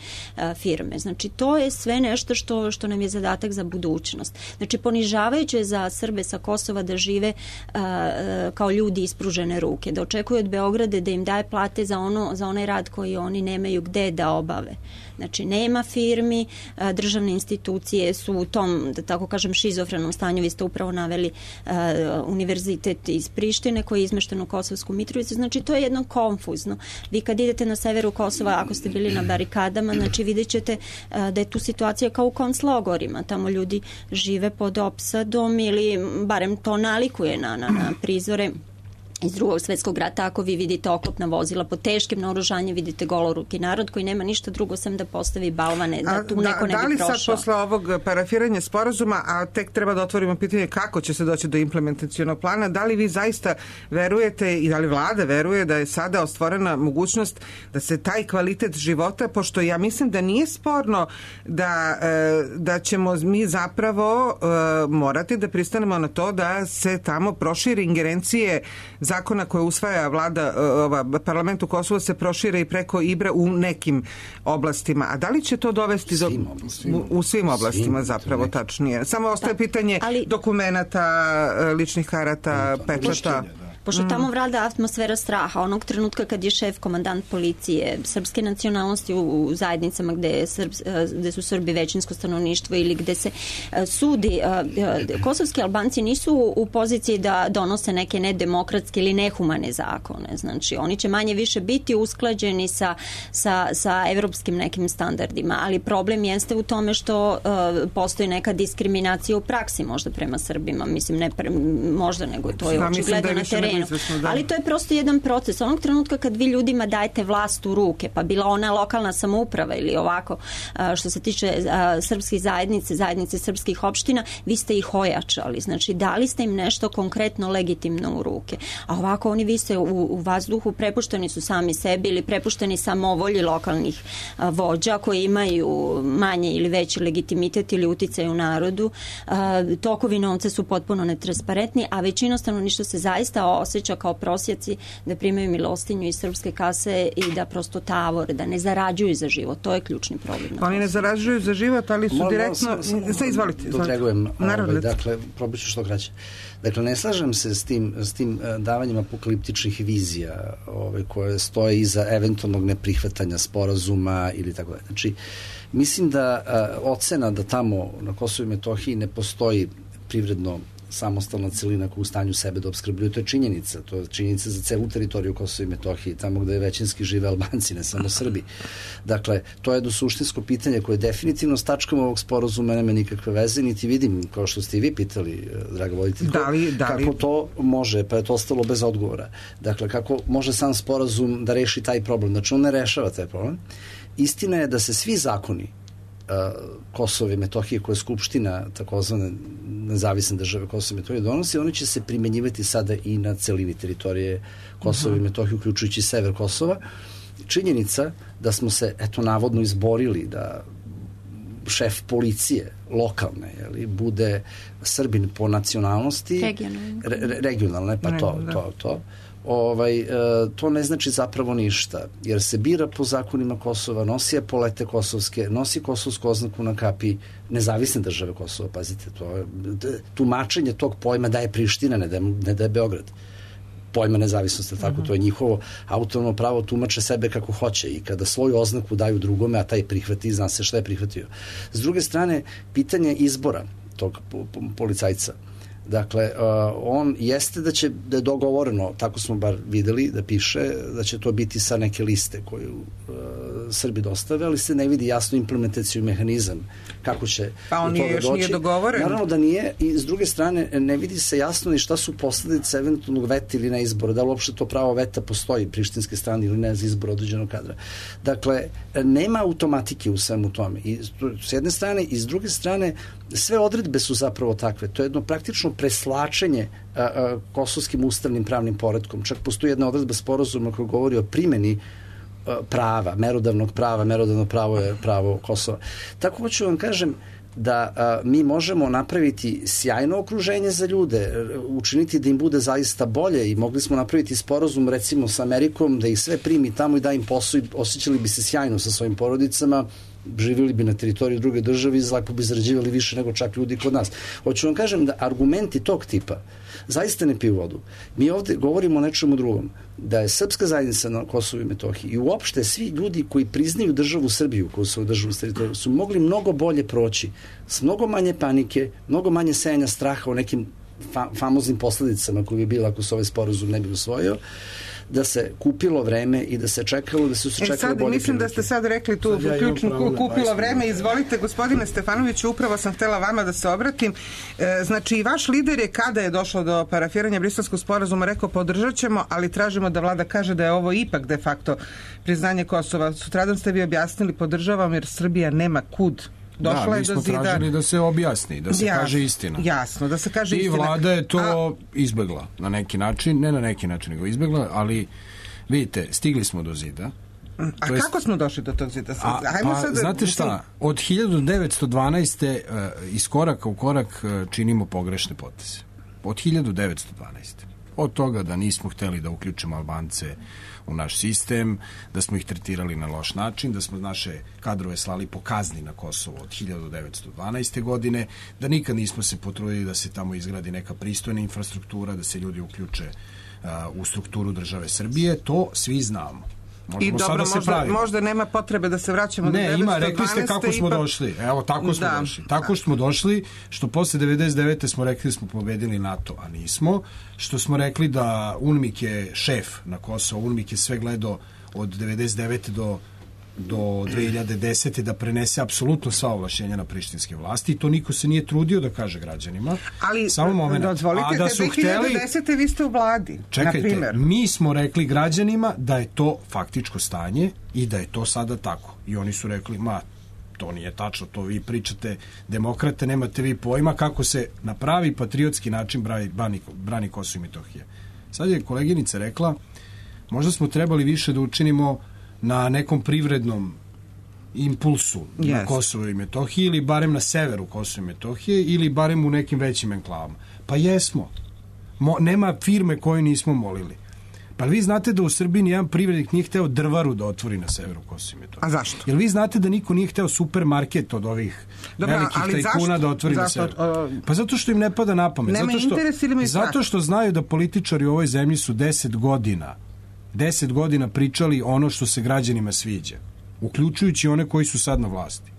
[SPEAKER 6] firme. Znači, to je sve nešto što, što nam je zadatak za budućnost. Znači, ponižavajuće za Srbe sa Kosova da žive a, kao ljudi ispružene ruke, da očekuju od Beograda da im daje plate za, ono, za onaj rad koji oni nemaju gde da obave. Znači, nema firmi, državne institucije su u tom, da tako kažem, šizofrenom stanju. Vi ste upravo naveli uh, univerzitet iz Prištine koji je izmešten u Kosovsku Mitrovicu. Znači, to je jedno konfuzno. Vi kad idete na severu Kosova, ako ste bili na barikadama, znači vidjet ćete uh, da je tu situacija kao u konclogorima. Tamo ljudi žive pod opsadom ili barem to nalikuje na, na, na prizore iz drugog svetskog rata. Ako vi vidite oklopna vozila pod teškim naoružanjem, vidite goloruki narod koji nema ništa drugo sem da postavi balvane, da tu neko ne bi prošao.
[SPEAKER 4] Da li sad posle ovog parafiranja sporazuma, a tek treba da otvorimo pitanje kako će se doći do implementacionog plana, da li vi zaista verujete i da li vlada veruje da je sada ostvorena mogućnost da se taj kvalitet života, pošto ja mislim da nije sporno da, da ćemo mi zapravo morati da pristanemo na to da se tamo proširi ingerencije zakona koje usvaja vlada, ova, parlament u Kosovo se prošire i preko Ibra u nekim oblastima. A da li će to dovesti do... U, u svim oblastima svim, zapravo, tačnije. Samo ostaje da, pitanje ali, dokumenata, ličnih karata, da, pečata.
[SPEAKER 6] Pošto tamo vlada atmosfera straha, onog trenutka kad je šef komandant policije srpske nacionalnosti u, u zajednicama gde, je Srb, gde su Srbi većinsko stanovništvo ili gde se sudi, kosovski Albanci nisu u poziciji da donose neke nedemokratske ili nehumane zakone. Znači, oni će manje više biti usklađeni sa, sa, sa evropskim nekim standardima, ali problem jeste u tome što uh, postoji neka diskriminacija u praksi možda prema Srbima. Mislim, ne pre, možda, nego to je očigledno na terenu. krenu.
[SPEAKER 4] Da.
[SPEAKER 6] Ali to je prosto jedan proces. Onog trenutka kad vi ljudima dajete vlast u ruke, pa bila ona lokalna samouprava ili ovako, što se tiče srpskih zajednice, zajednice srpskih opština, vi ste ih ojačali. Znači, dali ste im nešto konkretno legitimno u ruke. A ovako oni vise u, u vazduhu, prepušteni su sami sebi ili prepušteni samovolji lokalnih a, vođa koji imaju manje ili veći legitimitet ili uticaj u narodu. A, tokovi novca su potpuno netransparentni, a većina stanovništva se zaista osjeća kao prosjaci da primaju milostinju iz srpske kase i da prosto tavore, da ne zarađuju za život. To je ključni problem.
[SPEAKER 4] Oni ne zarađuju za život, ali su Mal, direktno... Sve izvolite.
[SPEAKER 7] Dodregujem, ovaj, dakle, probat ću što kraće. Dakle, ne slažem se s tim, s tim davanjem apokaliptičnih vizija ovaj, koje stoje iza eventualnog neprihvatanja sporazuma ili tako da. Znači, mislim da a, ocena da tamo na Kosovu i Metohiji ne postoji privredno samostalna celina koja u stanju sebe da obskrbljuje, to je činjenica. To je činjenica za celu teritoriju Kosova i Metohije, tamo gde većinski žive Albanci, ne samo Srbi. Dakle, to je jedno suštinsko pitanje koje definitivno s tačkom ovog sporazuma nema nikakve veze, niti vidim, kao što ste i vi pitali, draga voditeljko,
[SPEAKER 4] da li, da li...
[SPEAKER 7] kako to može, pa je to ostalo bez odgovora. Dakle, kako može sam sporazum da reši taj problem. Znači, on ne rešava taj problem. Istina je da se svi zakoni Kosova i Metohije koje je Skupština takozvane nezavisne države Kosova i Metohije donosi, oni će se primenjivati sada i na celini teritorije Kosova i Metohije, uključujući sever Kosova. Činjenica da smo se, eto, navodno izborili da šef policije lokalne, jeli, bude Srbin po nacionalnosti,
[SPEAKER 6] regionalne,
[SPEAKER 7] re, regionalne pa to, to, to. Ovaj, e, to ne znači zapravo ništa, jer se bira po zakonima Kosova, nosi epolete kosovske, nosi kosovsku oznaku na kapi nezavisne države Kosova, pazite, to je, tumačenje tog pojma daje Priština, ne daje, ne daje Beograd. Pojma nezavisnosti, tako, to je njihovo autonomno pravo, tumače sebe kako hoće i kada svoju oznaku daju drugome, a taj prihvati, zna se šta je prihvatio. S druge strane, pitanje izbora tog policajca. Dakle, uh, on jeste da će, da je dogovoreno, tako smo bar videli, da piše, da će to biti sa neke liste koju uh, Srbi dostave, ali se ne vidi jasno implementaciju mehanizam kako će
[SPEAKER 4] pa on
[SPEAKER 7] do toga
[SPEAKER 4] još
[SPEAKER 7] doći.
[SPEAKER 4] Nije dogovoren.
[SPEAKER 7] Naravno da nije i s druge strane ne vidi se jasno ni šta su posledice eventualnog veta ili na izbora, da li uopšte to pravo veta postoji prištinske strane ili ne za izbor određenog kadra. Dakle, nema automatike u svemu tome. I s jedne strane i s druge strane sve odredbe su zapravo takve. To je jedno praktično preslačenje a, a, kosovskim ustavnim pravnim poretkom. Čak postoji jedna odredba sporazuma koja govori o primjeni a, prava, merodavnog prava, merodavno pravo je pravo Kosova. Tako hoću vam kažem da a, mi možemo napraviti sjajno okruženje za ljude, učiniti da im bude zaista bolje i mogli smo napraviti sporazum recimo sa Amerikom da ih sve primi tamo i da im posao i osjećali bi se sjajno sa svojim porodicama, živjeli bi na teritoriji druge države i zlako bi zarađivali više nego čak ljudi kod nas. Hoću vam kažem da argumenti tog tipa zaista ne piju vodu. Mi ovde govorimo o nečemu drugom. Da je srpska zajednica na Kosovu i Metohiji i uopšte svi ljudi koji priznaju državu Srbiju, koju su državu teritoriju, su mogli mnogo bolje proći, s mnogo manje panike, mnogo manje sejanja straha o nekim fa famoznim posledicama koji bi bila ako se ovaj sporazum ne bi usvojio, da se kupilo vreme i da se čekalo, da su se čekalo
[SPEAKER 4] e sad,
[SPEAKER 7] bolje
[SPEAKER 4] mislim
[SPEAKER 7] prilike.
[SPEAKER 4] Da ste sad rekli tu ja ključnu kupilo vreme. Izvolite, gospodine Stefanoviću, upravo sam htela vama da se obratim. E, znači, i vaš lider je kada je došlo do parafiranja Briselskog sporazuma rekao podržat ćemo, ali tražimo da vlada kaže da je ovo ipak de facto priznanje Kosova. Sutradan ste vi objasnili podržavam jer Srbija nema kud. Došla
[SPEAKER 8] da,
[SPEAKER 4] je
[SPEAKER 8] mi smo
[SPEAKER 4] do zida.
[SPEAKER 8] tražili da se objasni, da se
[SPEAKER 4] jasno, kaže
[SPEAKER 8] istina.
[SPEAKER 4] Jasno, da se kaže
[SPEAKER 8] I
[SPEAKER 4] istina.
[SPEAKER 8] I vlada je to
[SPEAKER 4] A...
[SPEAKER 8] izbegla na neki način, ne na neki način, nego izbegla, ali vidite, stigli smo do zida.
[SPEAKER 4] A
[SPEAKER 8] to
[SPEAKER 4] kako
[SPEAKER 8] jest,
[SPEAKER 4] smo došli do tog zida?
[SPEAKER 8] A,
[SPEAKER 4] Hajmo
[SPEAKER 8] pa,
[SPEAKER 4] sad,
[SPEAKER 8] znate šta, od hiljadu devetsto dvanaeste. Uh, iz koraka u korak uh, činimo pogrešne poteze. Od hiljadu devetsto dvanaeste. Od toga da nismo hteli da uključimo Albance u naš sistem, da smo ih tretirali na loš način, da smo naše kadrove slali po kazni na Kosovo od hiljadu devetsto dvanaeste. godine, da nikad nismo se potrudili da se tamo izgradi neka pristojna infrastruktura, da se ljudi uključe uh, u strukturu države Srbije, to svi znamo. Možemo
[SPEAKER 4] I dobro,
[SPEAKER 8] sada se
[SPEAKER 4] možda, možda nema potrebe da se vraćamo
[SPEAKER 8] ne,
[SPEAKER 4] do devetsto dvanaeste.
[SPEAKER 8] Ne, ima, rekli ste kako smo ipak... došli. Evo, tako smo
[SPEAKER 4] da.
[SPEAKER 8] došli. Tako smo došli, što posle devedeset devete smo rekli da smo pobedili NATO, a nismo. Što smo rekli da UNMIK je šef na Kosovo, UNMIK je sve gledao od devedeset devete do do dve hiljade desete. da prenese apsolutno sva ovlašćenja na prištinske vlasti i to niko se nije trudio da kaže građanima.
[SPEAKER 4] Ali,
[SPEAKER 8] samo moment.
[SPEAKER 4] Dozvolite,
[SPEAKER 8] a da su
[SPEAKER 4] dve hiljade desete.
[SPEAKER 8] hteli,
[SPEAKER 4] vi ste u vladi,
[SPEAKER 8] čekajte,
[SPEAKER 4] na primjer.
[SPEAKER 8] mi smo rekli građanima da je to faktičko stanje i da je to sada tako. I oni su rekli, ma, to nije tačno, to vi pričate demokrate, nemate vi pojma kako se na pravi patriotski način brani, brani, brani Kosovo i Metohija. Sad je koleginica rekla, možda smo trebali više da učinimo na nekom privrednom impulsu yes. na Kosovo i Metohiji ili barem na severu Kosova i Metohije ili barem u nekim većim enklavama. Pa jesmo. Mo, nema firme koju nismo molili. Pa vi znate da u Srbiji nijedan privrednik nije hteo drvaru da otvori na severu Kosova i Metohije?
[SPEAKER 4] A zašto?
[SPEAKER 8] Jer vi znate da niko nije hteo supermarket od ovih Dobra, velikih tajkuna da otvori zašto? na severu? Pa zato što im ne pada na pamet.
[SPEAKER 4] Nema
[SPEAKER 8] zato što,
[SPEAKER 4] interes ili mi
[SPEAKER 8] zato što znaju da političari u ovoj zemlji su deset godina deset godina pričali ono što se građanima sviđa, uključujući one koji su sad na vlasti.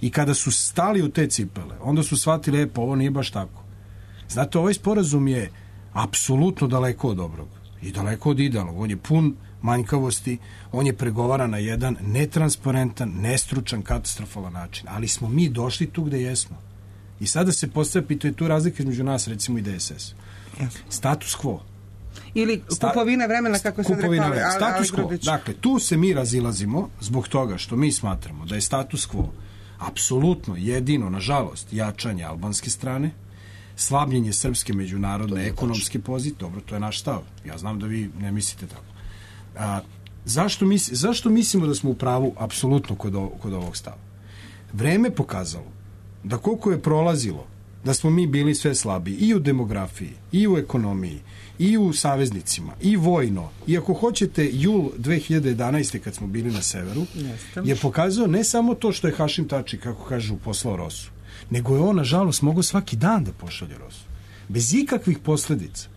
[SPEAKER 8] I kada su stali u te cipele, onda su shvatili, e, pa ovo nije baš tako. Znate, ovaj sporazum je apsolutno daleko od dobrog i daleko od idealnog. On je pun manjkavosti, on je pregovaran na jedan netransparentan, nestručan, katastrofalan način. Ali smo mi došli tu gde jesmo. I sada se postavlja pitanje, tu razlika između nas, recimo, i D S S. Status quo.
[SPEAKER 4] Ili kupovina vremena, kako se rekao.
[SPEAKER 8] Status quo. Dakle, tu se mi razilazimo zbog toga što mi smatramo da je status quo apsolutno jedino, nažalost, jačanje albanske strane, slabljenje srpske međunarodne ekonomske pozicije. Dobro, to je naš stav. Ja znam da vi ne mislite tako. A, zašto, mis, zašto mislimo da smo u pravu apsolutno kod, o, kod ovog stava? Vreme pokazalo da koliko je prolazilo da smo mi bili sve slabiji i u demografiji, i u ekonomiji, i u saveznicima, i vojno, i ako hoćete jul dve hiljade jedanaeste kad smo bili na severu, je pokazao ne samo to što je Hašim Tači, kako kažu, poslao Rosu, nego je on, nažalost, mogao svaki dan da pošalje Rosu. Bez ikakvih posledica.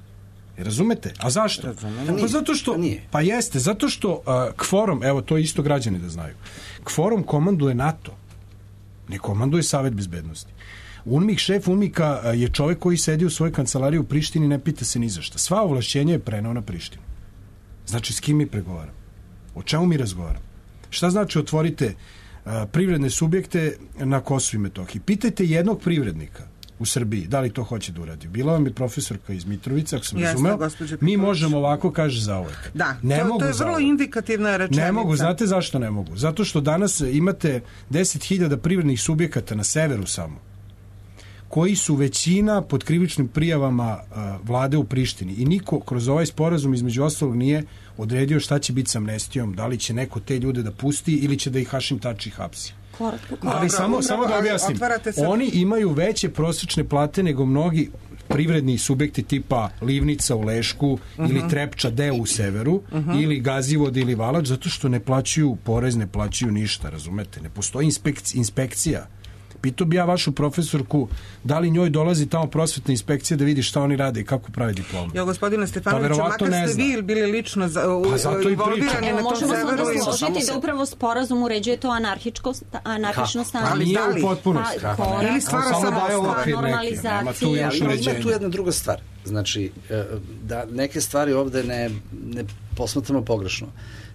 [SPEAKER 8] Razumete? A zašto? Pa zato što, pa jeste, zato što uh, kvorom, evo to isto građani da znaju, kvorom komanduje NATO, ne komanduje Savet bezbednosti. UNMIK, šef UNMIK-a je čovjek koji sedi u svojoj kancelariji u Prištini i ne pita se ni za šta. Sva ovlašćenja je preneo na Prištinu. Znači, s kim mi pregovaramo? O čemu mi razgovaramo? Šta znači otvorite uh, privredne subjekte na Kosovu i Metohiji? Pitajte jednog privrednika u Srbiji da li to hoće da uradi. Bila vam je profesorka iz Mitrovice, ako sam Jeste, razumeo, mi možemo ovako, kaže, za uvek.
[SPEAKER 4] Da,
[SPEAKER 8] ne
[SPEAKER 4] to,
[SPEAKER 8] mogu
[SPEAKER 4] to je vrlo
[SPEAKER 8] uvek.
[SPEAKER 4] indikativna rečenica.
[SPEAKER 8] Ne mogu, znate zašto ne mogu? Zato što danas imate deset hiljada privrednih subjekata na severu samo, koji su većina pod krivičnim prijavama uh, vlade u Prištini i niko kroz ovaj sporazum između ostalog nije odredio šta će biti s amnestijom, da li će neko te ljude da pusti ili će da ih Hašim Tači hapsi.
[SPEAKER 6] Korak, korak.
[SPEAKER 8] Ali samo, samo da objasnim, oni imaju veće prosječne plate nego mnogi privredni subjekti tipa Livnica u Lešku uh-huh. ili Trepča D u severu uh-huh. ili Gazivod ili Valač, zato što ne plaćaju porez, ne plaćaju ništa, razumete? Ne postoji inspekc, inspekcija. Pitao bi ja vašu profesorku da li njoj dolazi tamo prosvetna inspekcija da vidi šta oni rade i kako pravi diplomu.
[SPEAKER 4] Ja, gospodine Stefanoviću, pa makar ste vi bili lično za, u,
[SPEAKER 8] pa zato i pričam.
[SPEAKER 6] Evo, možemo se onda složiti da upravo sporazum uređuje to anarhičko, anarhično stanje.
[SPEAKER 8] Ali nije u potpunosti.
[SPEAKER 6] Pa,
[SPEAKER 4] ili stvara samo
[SPEAKER 6] normalizacija.
[SPEAKER 7] Ima tu jedna druga stvar. Znači, da neke stvari ovde ne, ne posmatramo pogrešno.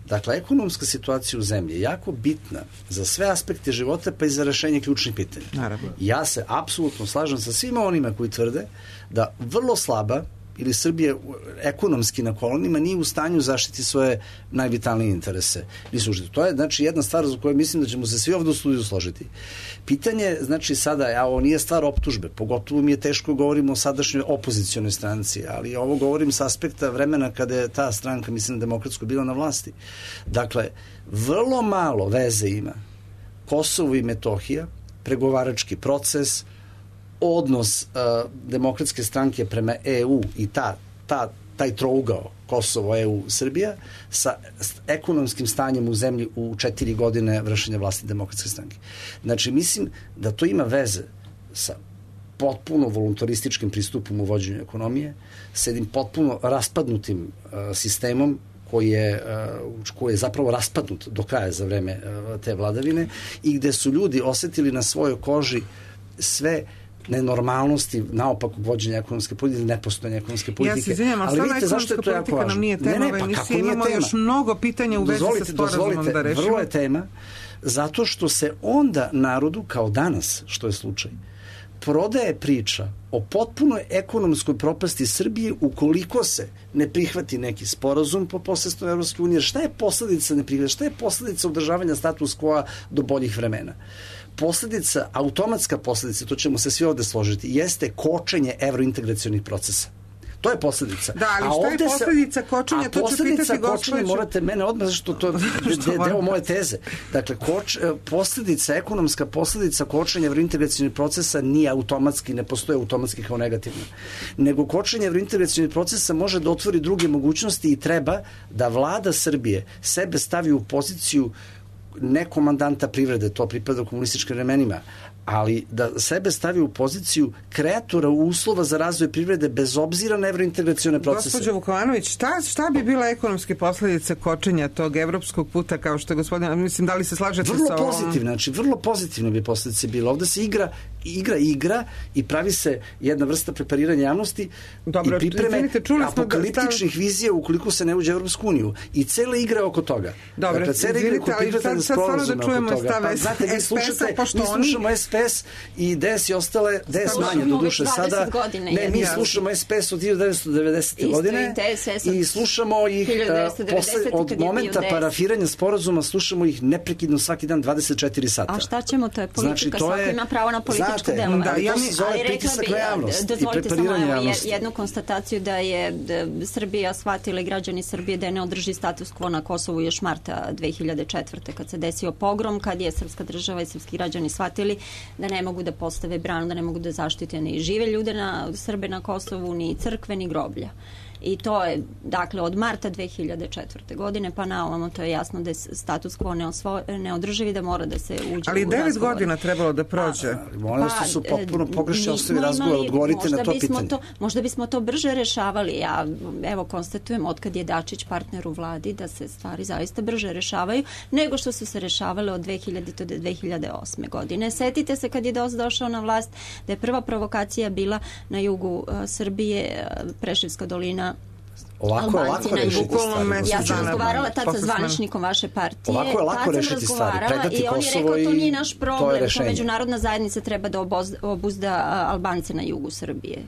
[SPEAKER 7] Dakle, ekonomska situacija u zemlji je jako bitna za sve aspekte života, pa i za rešenje ključnih pitanja.
[SPEAKER 4] Naravno.
[SPEAKER 7] Ja se apsolutno slažem sa svima onima koji tvrde da vrlo slaba ili Srbija ekonomski na kolonima nije u stanju zaštiti svoje najvitalnije interese. Nisu užiti. To je, znači, jedna stvar za koju mislim da ćemo se svi ovdje u studiju složiti. Pitanje, znači, sada, a ovo nije stvar optužbe, pogotovo mi je teško govorimo o sadašnjoj opozicionoj stranci, ali ovo govorim sa aspekta vremena kada je ta stranka, mislim, demokratsko bila na vlasti. Dakle, vrlo malo veze ima Kosovo i Metohija, pregovarački proces, odnos uh, demokratske stranke prema E U i ta, ta, taj trougao Kosovo, E U, Srbija sa ekonomskim stanjem u zemlji u četiri godine vršenja vlasti demokratske stranke. Znači, mislim da to ima veze sa potpuno voluntarističkim pristupom u vođenju ekonomije, sa jednim potpuno raspadnutim uh, sistemom koji je, uh, koji je zapravo raspadnut do kraja za vreme uh, te vladavine i gde su ljudi osetili na svojoj koži sve nenormalnosti naopakog vođenja ekonomske politike ili nepostojanja ekonomske politike.
[SPEAKER 4] Ja se izvinjam, ali stvarno ekonomska politika nam nije tema, ne, ne, pa kako imamo tema? Još mnogo pitanja u vezi sa sporazumom da rešimo.
[SPEAKER 7] Vrlo je tema, zato što se onda narodu, kao danas, što je slučaj, prodaje priča o potpunoj ekonomskoj propasti Srbije ukoliko se ne prihvati neki sporazum po posredstvu Evropske unije. Šta je posledica ne prihvata? Šta je posledica održavanja status quo do boljih vremena? Posledica, automatska posledica, to ćemo se svi ovde složiti, jeste kočenje evrointegracionih procesa. To je posledica.
[SPEAKER 4] Da, ali šta je posledica kočenja?
[SPEAKER 7] To ću pitati kočenja, morate mene odmah, zašto to je deo moje teze. Dakle, koč, posledica, ekonomska posledica kočenja evrointegracionih procesa nije automatski, ne postoje automatski kao negativno. Nego kočenje evrointegracionih procesa može da otvori druge mogućnosti i treba da vlada Srbije sebe stavi u poziciju ne komandanta privrede, to pripada komunističkim vremenima, ali da sebe stavi u poziciju kreatora uslova za razvoj privrede bez obzira na evrointegracione procese.
[SPEAKER 4] Gospođo Vukovanović, šta, šta bi bila ekonomske posledice kočenja tog evropskog puta, kao što je gospodin, mislim, da li se slažete
[SPEAKER 7] vrlo
[SPEAKER 4] sa ovom?
[SPEAKER 7] Vrlo pozitivno, znači vrlo pozitivno bi posledice bilo. Ovde se igra, igra, igra i pravi se jedna vrsta prepariranja javnosti.
[SPEAKER 4] Dobro,
[SPEAKER 7] i pripreme
[SPEAKER 4] izvinite, čuli smo
[SPEAKER 7] apokaliptičnih da... vizija ukoliko se ne uđe u Evropsku uniju. I cela igra oko toga.
[SPEAKER 4] Dobro,
[SPEAKER 7] dakle, cela igra oko
[SPEAKER 4] sad, sad stvarno da čujemo stav
[SPEAKER 7] pa, znate, mi slušate, mi slušamo S P S i D S i ostale, D S manje do duše sada. Ne, mi slušamo S P S od hiljadu devetsto devedesete. godine i slušamo ih posle, od momenta parafiranja sporazuma, slušamo ih neprekidno svaki dan dvadeset četiri sata.
[SPEAKER 6] A šta ćemo, to je politika, svako ima pravo na političko delovanje.
[SPEAKER 7] Da, ja mi zove pritisak na javnost i prepariranje javnosti.
[SPEAKER 6] Jednu konstataciju da je Srbija shvatila i građani Srbije da je ne održi status quo na Kosovu još marta dve hiljade četvrte. kad se desio pogrom, kad je srpska država i srpski građani shvatili da ne mogu da postave branu, da ne mogu da zaštite ni žive ljude na Srbe na Kosovu, ni crkve, ni groblja. I to je, dakle, od marta dve hiljade četvrte. godine pa na ovamo, to je jasno da je status quo neosvo, neodrživi, da mora da se uđe
[SPEAKER 4] ali
[SPEAKER 6] u
[SPEAKER 4] devet
[SPEAKER 6] razgovor.
[SPEAKER 4] godina trebalo da prođe.
[SPEAKER 7] Molim vas, to su potpuno pogrešni osnovi razgovora, odgovorite na to pitanje.
[SPEAKER 6] To, možda bismo to brže rešavali. Ja, evo, konstatujem, otkad je Dačić partner u vladi, da se stvari zaista brže rešavaju, nego što su se rešavale od dve hiljadite do dve hiljade osme. godine. Setite se kad je D O S došao na vlast, da je prva provokacija bila na jugu uh, Srbije, uh, Preševska dolina,
[SPEAKER 7] Ovako je lako rešiti stvari.
[SPEAKER 6] Ja sam razgovarala tad sa zvaničnikom vaše partije.
[SPEAKER 7] Ovako je lako rešiti stvari. Predati
[SPEAKER 6] i on je rekao, to nije naš problem,
[SPEAKER 7] to,
[SPEAKER 6] to međunarodna zajednica treba da obuzda Albance na jugu Srbije.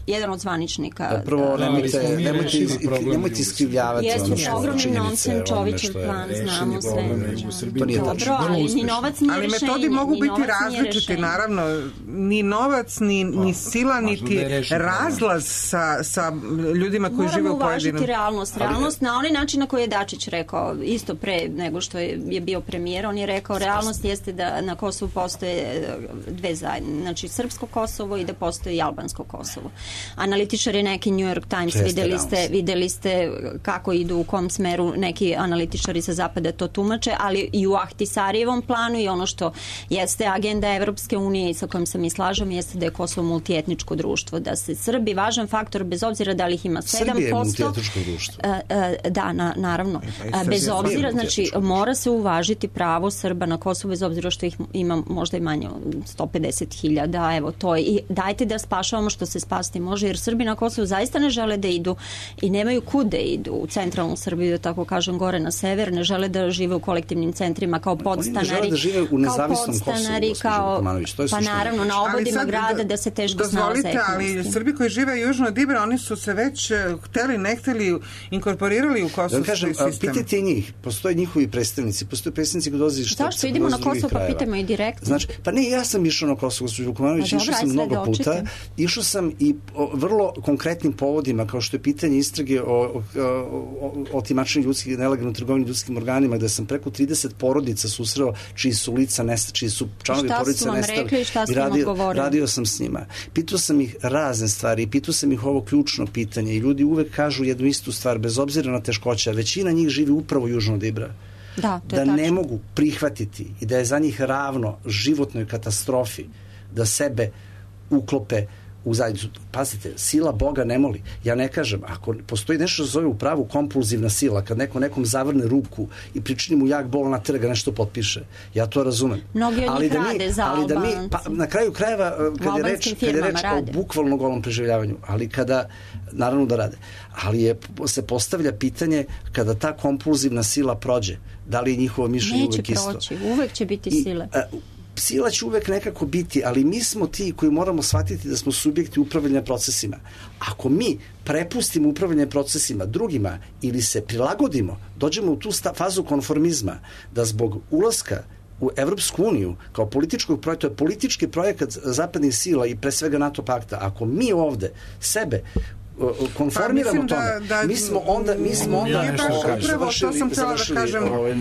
[SPEAKER 6] Jedan od zvaničnika.
[SPEAKER 7] Prvo, nemojte, nemojte, nemojte iskrivljavati ono
[SPEAKER 6] što ogromni nonsen, Čovićev plan, znamo sve.
[SPEAKER 7] To nije
[SPEAKER 6] dobro, ali ni novac nije
[SPEAKER 4] ali
[SPEAKER 6] rešenje.
[SPEAKER 4] Ali metodi mogu biti različiti, naravno. Ni novac, ni, ni sila, niti razlaz sa, sa ljudima koji žive u pojedinom.
[SPEAKER 6] Moramo uvažiti realnost. Realnost na onaj način na koji je Dačić rekao, isto pre nego što je, je bio premijer, on je rekao, realnost jeste da na Kosovu postoje dve zajednice, znači srpsko Kosovo i da postoji i albansko Kosovo. Analitičari neki New York Times, videli ste, videli ste kako idu, u kom smeru neki analitičari sa zapada to tumače, ali i u Ahtisarijevom planu i ono što jeste agenda Evropske unije i sa kojom se mi slažem jeste da je Kosovo multietničko društvo, da se Srbi važan faktor, bez obzira da li ih ima sedam posto.
[SPEAKER 7] Srbija je multietničko društvo.
[SPEAKER 6] Da, na, naravno. Bez obzira, znači, mora se uvažiti pravo Srba na Kosovo, bez obzira što ih ima možda i manje sto pedeset hiljada, evo to je. I dajte da spašavamo što se spasti može, jer Srbi na Kosovu zaista ne žele da idu i nemaju kud da idu u centralnu Srbiju, da tako kažem, gore na sever, ne žele da žive u kolektivnim centrima kao podstanari.
[SPEAKER 7] Oni ne žele da žive u nezavisnom
[SPEAKER 6] Kosovu, kao, pa naravno, na obodima grada da se teško snalaze ekonomski.
[SPEAKER 4] Dozvolite, ali Srbi koji žive južno od Ibra, oni su se već hteli, ne hteli, inkorporirali u kosovski
[SPEAKER 7] kažem,
[SPEAKER 4] sistem.
[SPEAKER 7] Pitajte njih, postoje njihovi predstavnici, postoje predstavnici koji dolaze iz Štrpca.
[SPEAKER 6] Zašto idemo na Kosovo pa pitamo i direktno?
[SPEAKER 7] Znači, pa ne, ja sam išao na Kosovo, gospođo Vukovanović, išao sam mnogo puta, išao sam i vrlo konkretnim povodima, kao što je pitanje istrage o, o, o, o timačenju ljudskih, nelegalnoj trgovini ljudskim organima, gde sam preko trideset porodica susreo čiji su lica nestali, čiji su članovi porodice nestali i radio, radio sam s njima. Pitao sam ih razne stvari i pitao sam ih ovo ključno pitanje i ljudi uvek kažu jednu istu stvar, bez obzira na teškoća. Većina njih živi upravo južno od Ibra.
[SPEAKER 6] Da, to
[SPEAKER 7] da ne mogu prihvatiti i da je za njih ravno životnoj katastrofi da sebe uklope u zajednicu. Pazite, sila Boga ne moli. Ja ne kažem, ako postoji nešto zove u pravu kompulzivna sila, kad neko nekom zavrne ruku i pričini mu jak bol na trga nešto potpiše, ja to razumem.
[SPEAKER 6] Mnogi od njih rade za
[SPEAKER 7] ali da mi, pa,
[SPEAKER 6] Albanci.
[SPEAKER 7] na kraju krajeva, kad je reč, kad je reč o bukvalno golom preživljavanju, ali kada, naravno da rade, ali je, se postavlja pitanje kada ta kompulzivna sila prođe, da li je njihovo mišljenje uvek isto?
[SPEAKER 6] Neće proći, uvek će biti
[SPEAKER 7] I,
[SPEAKER 6] sile.
[SPEAKER 7] A, sila će uvek nekako biti, ali mi smo ti koji moramo shvatiti da smo subjekti upravljanja procesima. Ako mi prepustimo upravljanje procesima drugima ili se prilagodimo, dođemo u tu sta, fazu konformizma, da zbog ulaska u Evropsku uniju kao političkog projekta, to je politički projekat zapadnih sila i pre svega NATO pakta, ako mi ovde sebe konformiramo pa, tome. Da, da, mi smo onda mi smo onda
[SPEAKER 4] ja upravo to sam htjela da kažem, ovaj, uh,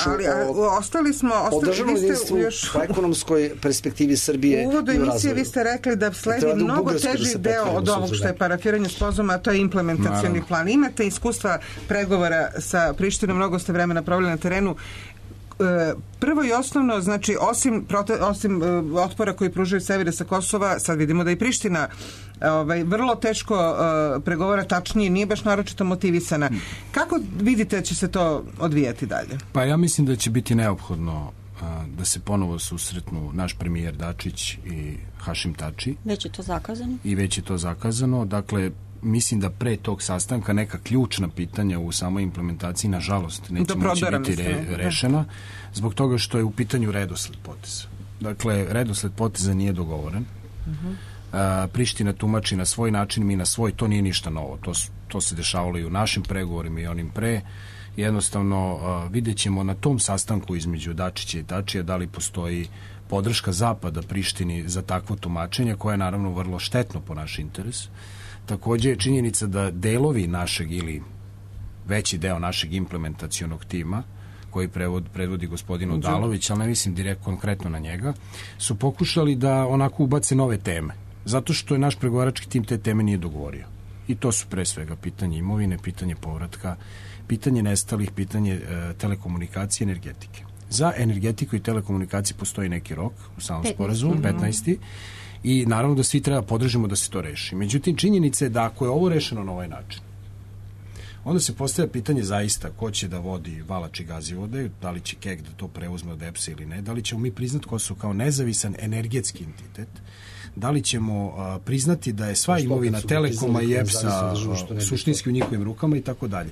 [SPEAKER 4] ali a, ostali smo ostali vi ste još
[SPEAKER 7] po ekonomskoj perspektivi Srbije.
[SPEAKER 4] U uvodu emisije vi ste rekli da sledi da mnogo teži da deo od ovog što je parafiranje sporazuma, a to je implementacioni plan. Imate iskustva pregovora sa Prištinom, mnogo ste vremena proveli na terenu. Prvo i osnovno, znači osim, prote, osim uh, otpora koji pružaju severe sa Kosova, sad vidimo da i Priština ovaj, vrlo teško uh, pregovara, tačnije, nije baš naročito motivisana. Kako vidite će se to odvijati dalje?
[SPEAKER 8] Pa ja mislim da će biti neophodno uh, da se ponovo susretnu naš premijer Dačić i Hašim Tači.
[SPEAKER 6] Već je to zakazano?
[SPEAKER 8] I već je to zakazano. Dakle, mislim da pre tog sastanka neka ključna pitanja u samoj implementaciji, nažalost, neće moći biti re, rešena, zbog toga što je u pitanju redosled poteza. Dakle, redosled poteza nije dogovoren. Uh-huh. A, Priština tumači na svoj način, mi na svoj, to nije ništa novo. To, to se dešavalo i u našim pregovorima i onim pre. Jednostavno, a, vidjet ćemo na tom sastanku između Dačića i Tačija da li postoji podrška Zapada Prištini za takvo tumačenje, koje je naravno vrlo štetno po naš interes. Takođe je činjenica da delovi našeg ili veći deo našeg implementacionog tima, koji prevod, predvodi gospodin Odalović, ali ne mislim direkt konkretno na njega, su pokušali da onako ubace nove teme. Zato što je naš pregovarački tim te teme nije dogovorio. I to su pre svega pitanje imovine, pitanje povratka, pitanje nestalih, pitanje e, telekomunikacije, energetike. Za energetiku i telekomunikaciju postoji neki rok u samom sporazumu, petnaesti I naravno da svi treba podržimo da se to reši. Međutim, činjenica je da ako je ovo rešeno na ovaj način, onda se postavlja pitanje zaista ko će da vodi Valač i Gazivode, da li će K E K da to preuzme od E P S-a ili ne, da li ćemo mi priznati Kosovo kao nezavisan energetski entitet, da li ćemo a, priznati da je sva imovina Telekoma i E P S-a suštinski u njihovim rukama i tako dalje.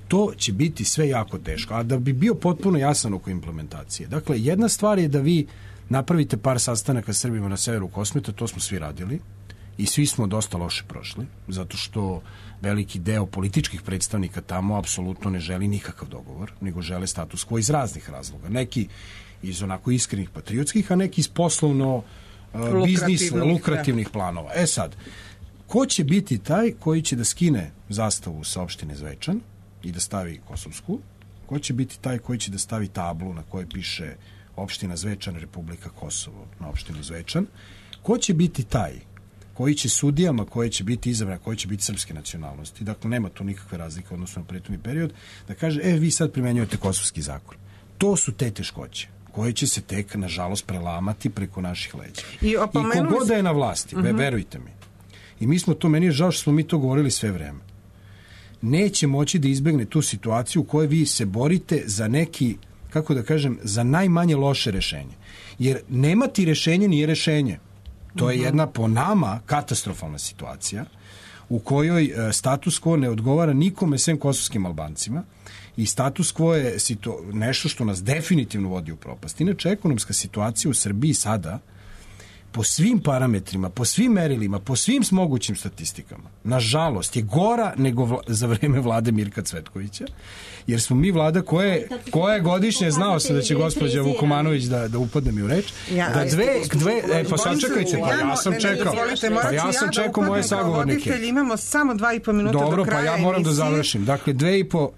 [SPEAKER 8] To će biti sve jako teško. A da bi bio potpuno jasan oko implementacije. Dakle, jedna stvar je da vi napravite par sastanaka Srbima na severu Kosmeta, to smo svi radili i svi smo dosta loše prošli, zato što veliki deo političkih predstavnika tamo apsolutno ne želi nikakav dogovor, nego žele status quo iz raznih razloga. Neki iz onako iskrenih patriotskih, a neki iz poslovno uh, biznis, lukrativnih planova. E sad, ko će biti taj koji će da skine zastavu sa opštine Zvečan i da stavi kosovsku? Ko će biti taj koji će da stavi tablu na kojoj piše opština Zvečan, Republika Kosovo na opštinu Zvečan? Ko će biti taj koji će sudijama, koje će biti izabrane, koje će biti srpske nacionalnosti, dakle nema tu nikakve razlike odnosno na prethodni period, da kaže, e, vi sad primenjujete kosovski zakon. To su te teškoće koje će se tek, nažalost, prelamati preko naših leđa. I, I kogod da je na vlasti, uh-huh. verujte mi, i mi smo to, meni je žao što smo mi to govorili sve vreme, neće moći da izbegne tu situaciju u kojoj vi se borite za neki, kako da kažem, za najmanje loše rešenje. Jer nemati rešenje nije rešenje. To je jedna po nama katastrofalna situacija u kojoj status quo ne odgovara nikome sem kosovskim Albancima i status quo je situ... nešto što nas definitivno vodi u propast. Inače, ekonomska situacija u Srbiji sada po svim parametrima, po svim merilima, po svim mogućim statistikama, nažalost, je gora nego vla, za vreme vlade Mirka Cvetkovića, jer smo mi vlada koje, koja je godišnje, znao sam da će gospođa Vukomanović da, da upadne mi u reč, da dve, dve e, pa sačekajte, pa ja sam čekao, pa ja sam čekao moje sagovornike.
[SPEAKER 4] Imamo samo dva i po minuta do kraja.
[SPEAKER 8] Dobro, pa ja moram da završim. Dakle, dve i po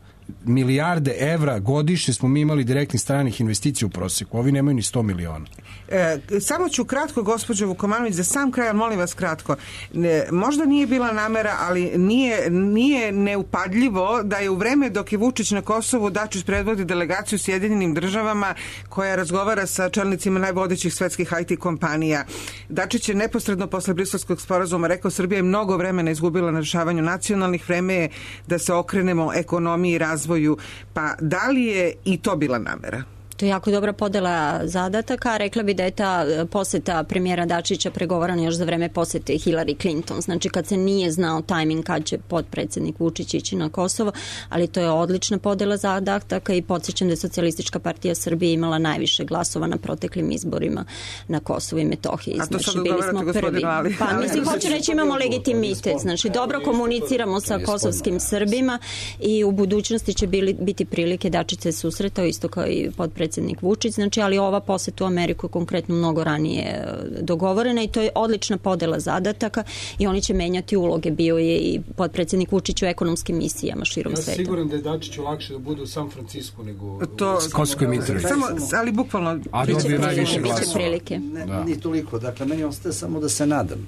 [SPEAKER 8] milijarde evra godišnje smo mi imali direktnih stranih investicija u proseku. Ovi nemaju ni sto miliona.
[SPEAKER 4] E, samo ću kratko, gospođo Vukomanović, za sam kraj, molim vas kratko. Ne, možda nije bila namera, ali nije, nije neupadljivo da je u vreme dok je Vučić na Kosovu, Dačić predvodi delegaciju Sjedinjenim državama koja razgovara sa čelnicima najvodećih svetskih I T kompanija. Dačić je neposredno posle Briselskog sporazuma rekao: Srbija je mnogo vremena izgubila na rešavanju nacionalnih, vreme je da se okrenemo ekonomiji i razvoju. Pa da li je i to bila namera?
[SPEAKER 6] To je jako dobra podela zadataka. Rekla bi da je ta poseta premijera Dačića pregovarana još za vreme posete Hillary Clinton. Znači kad se nije znao tajming kad će potpredsednik Vučić ići na Kosovo, ali to je odlična podela zadataka i podsjećam da je Socijalistička partija Srbije imala najviše glasova na proteklim izborima na Kosovu i Metohiji.
[SPEAKER 4] A to
[SPEAKER 6] znači,
[SPEAKER 4] sad
[SPEAKER 6] bili smo prvi.
[SPEAKER 4] Ali.
[SPEAKER 6] Pa mislim, hoću reći, imamo legitimitet. Znači dobro komuniciramo sa kosovskim Srbima i u budućnosti će bili, biti prilike Dačić se susretao isto kao i potpredsednik predsjednik Vučić, znači, ali ova poseta u Ameriku je konkretno mnogo ranije dogovorena i to je odlična podela zadataka i oni će menjati uloge. Bio je i potpredsjednik Vučić u ekonomskim misijama širom
[SPEAKER 17] ja
[SPEAKER 6] sveta.
[SPEAKER 17] Ja siguran da je Dačiću lakše da bude u San Francisku nego
[SPEAKER 4] to,
[SPEAKER 17] u
[SPEAKER 8] Kosovskoj Mitrovici.
[SPEAKER 4] Samo, ali bukvalno
[SPEAKER 8] a dobije najviše glasova.
[SPEAKER 6] Prilike.
[SPEAKER 7] Ne, da. Ni toliko. Dakle, meni ostaje samo da se nadam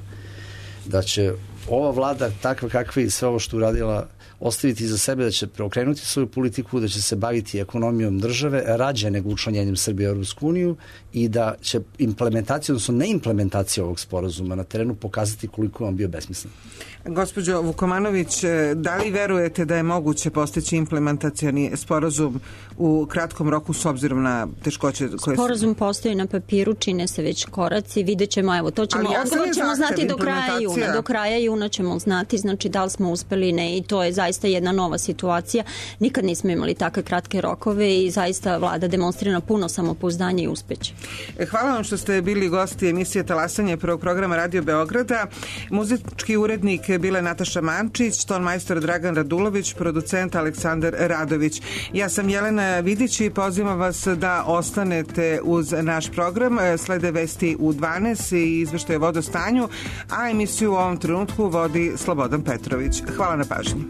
[SPEAKER 7] da će ova vlada takva kakva i sve ovo što uradila ostaviti za sebe, da će preokrenuti svoju politiku, da će se baviti ekonomijom države rađe nego učlanjenjem Srbije u Europsku uniju i da će implementacija, odnosno neimplementacija ovog sporazuma na terenu pokazati koliko je on bio besmislen.
[SPEAKER 4] Gospođo Vukomanović, da li verujete da je moguće postići implementacioni sporazum u kratkom roku s obzirom na teškoće koje su...
[SPEAKER 6] Sporazum postoji na papiru, čine se već koraci, vidjet ćemo, evo, to ćemo, ja odgovor ćemo znati do kraja juna. Do kraja juna ćemo znati, znači da li smo uspeli ne i to je zaista jedna nova situacija. Nikad nismo imali takve kratke rokove i zaista vlada demonstrira puno samopouzdanje i uspeće.
[SPEAKER 4] Hvala vam što ste bili gosti emisije Talasanje prvog programa Radio Beograda. Muzički urednik bila je Nataša Mančić, ton majstor Dragan Radulović, producent Aleksandar Radović. Ja sam Jelena Vidić i pozivam vas da ostanete uz naš program. Slede vesti u dvanaest i izveštaje o vodostanju, a emisiju u ovom trenutku vodi Slobodan Petrović. Hvala na pažnji.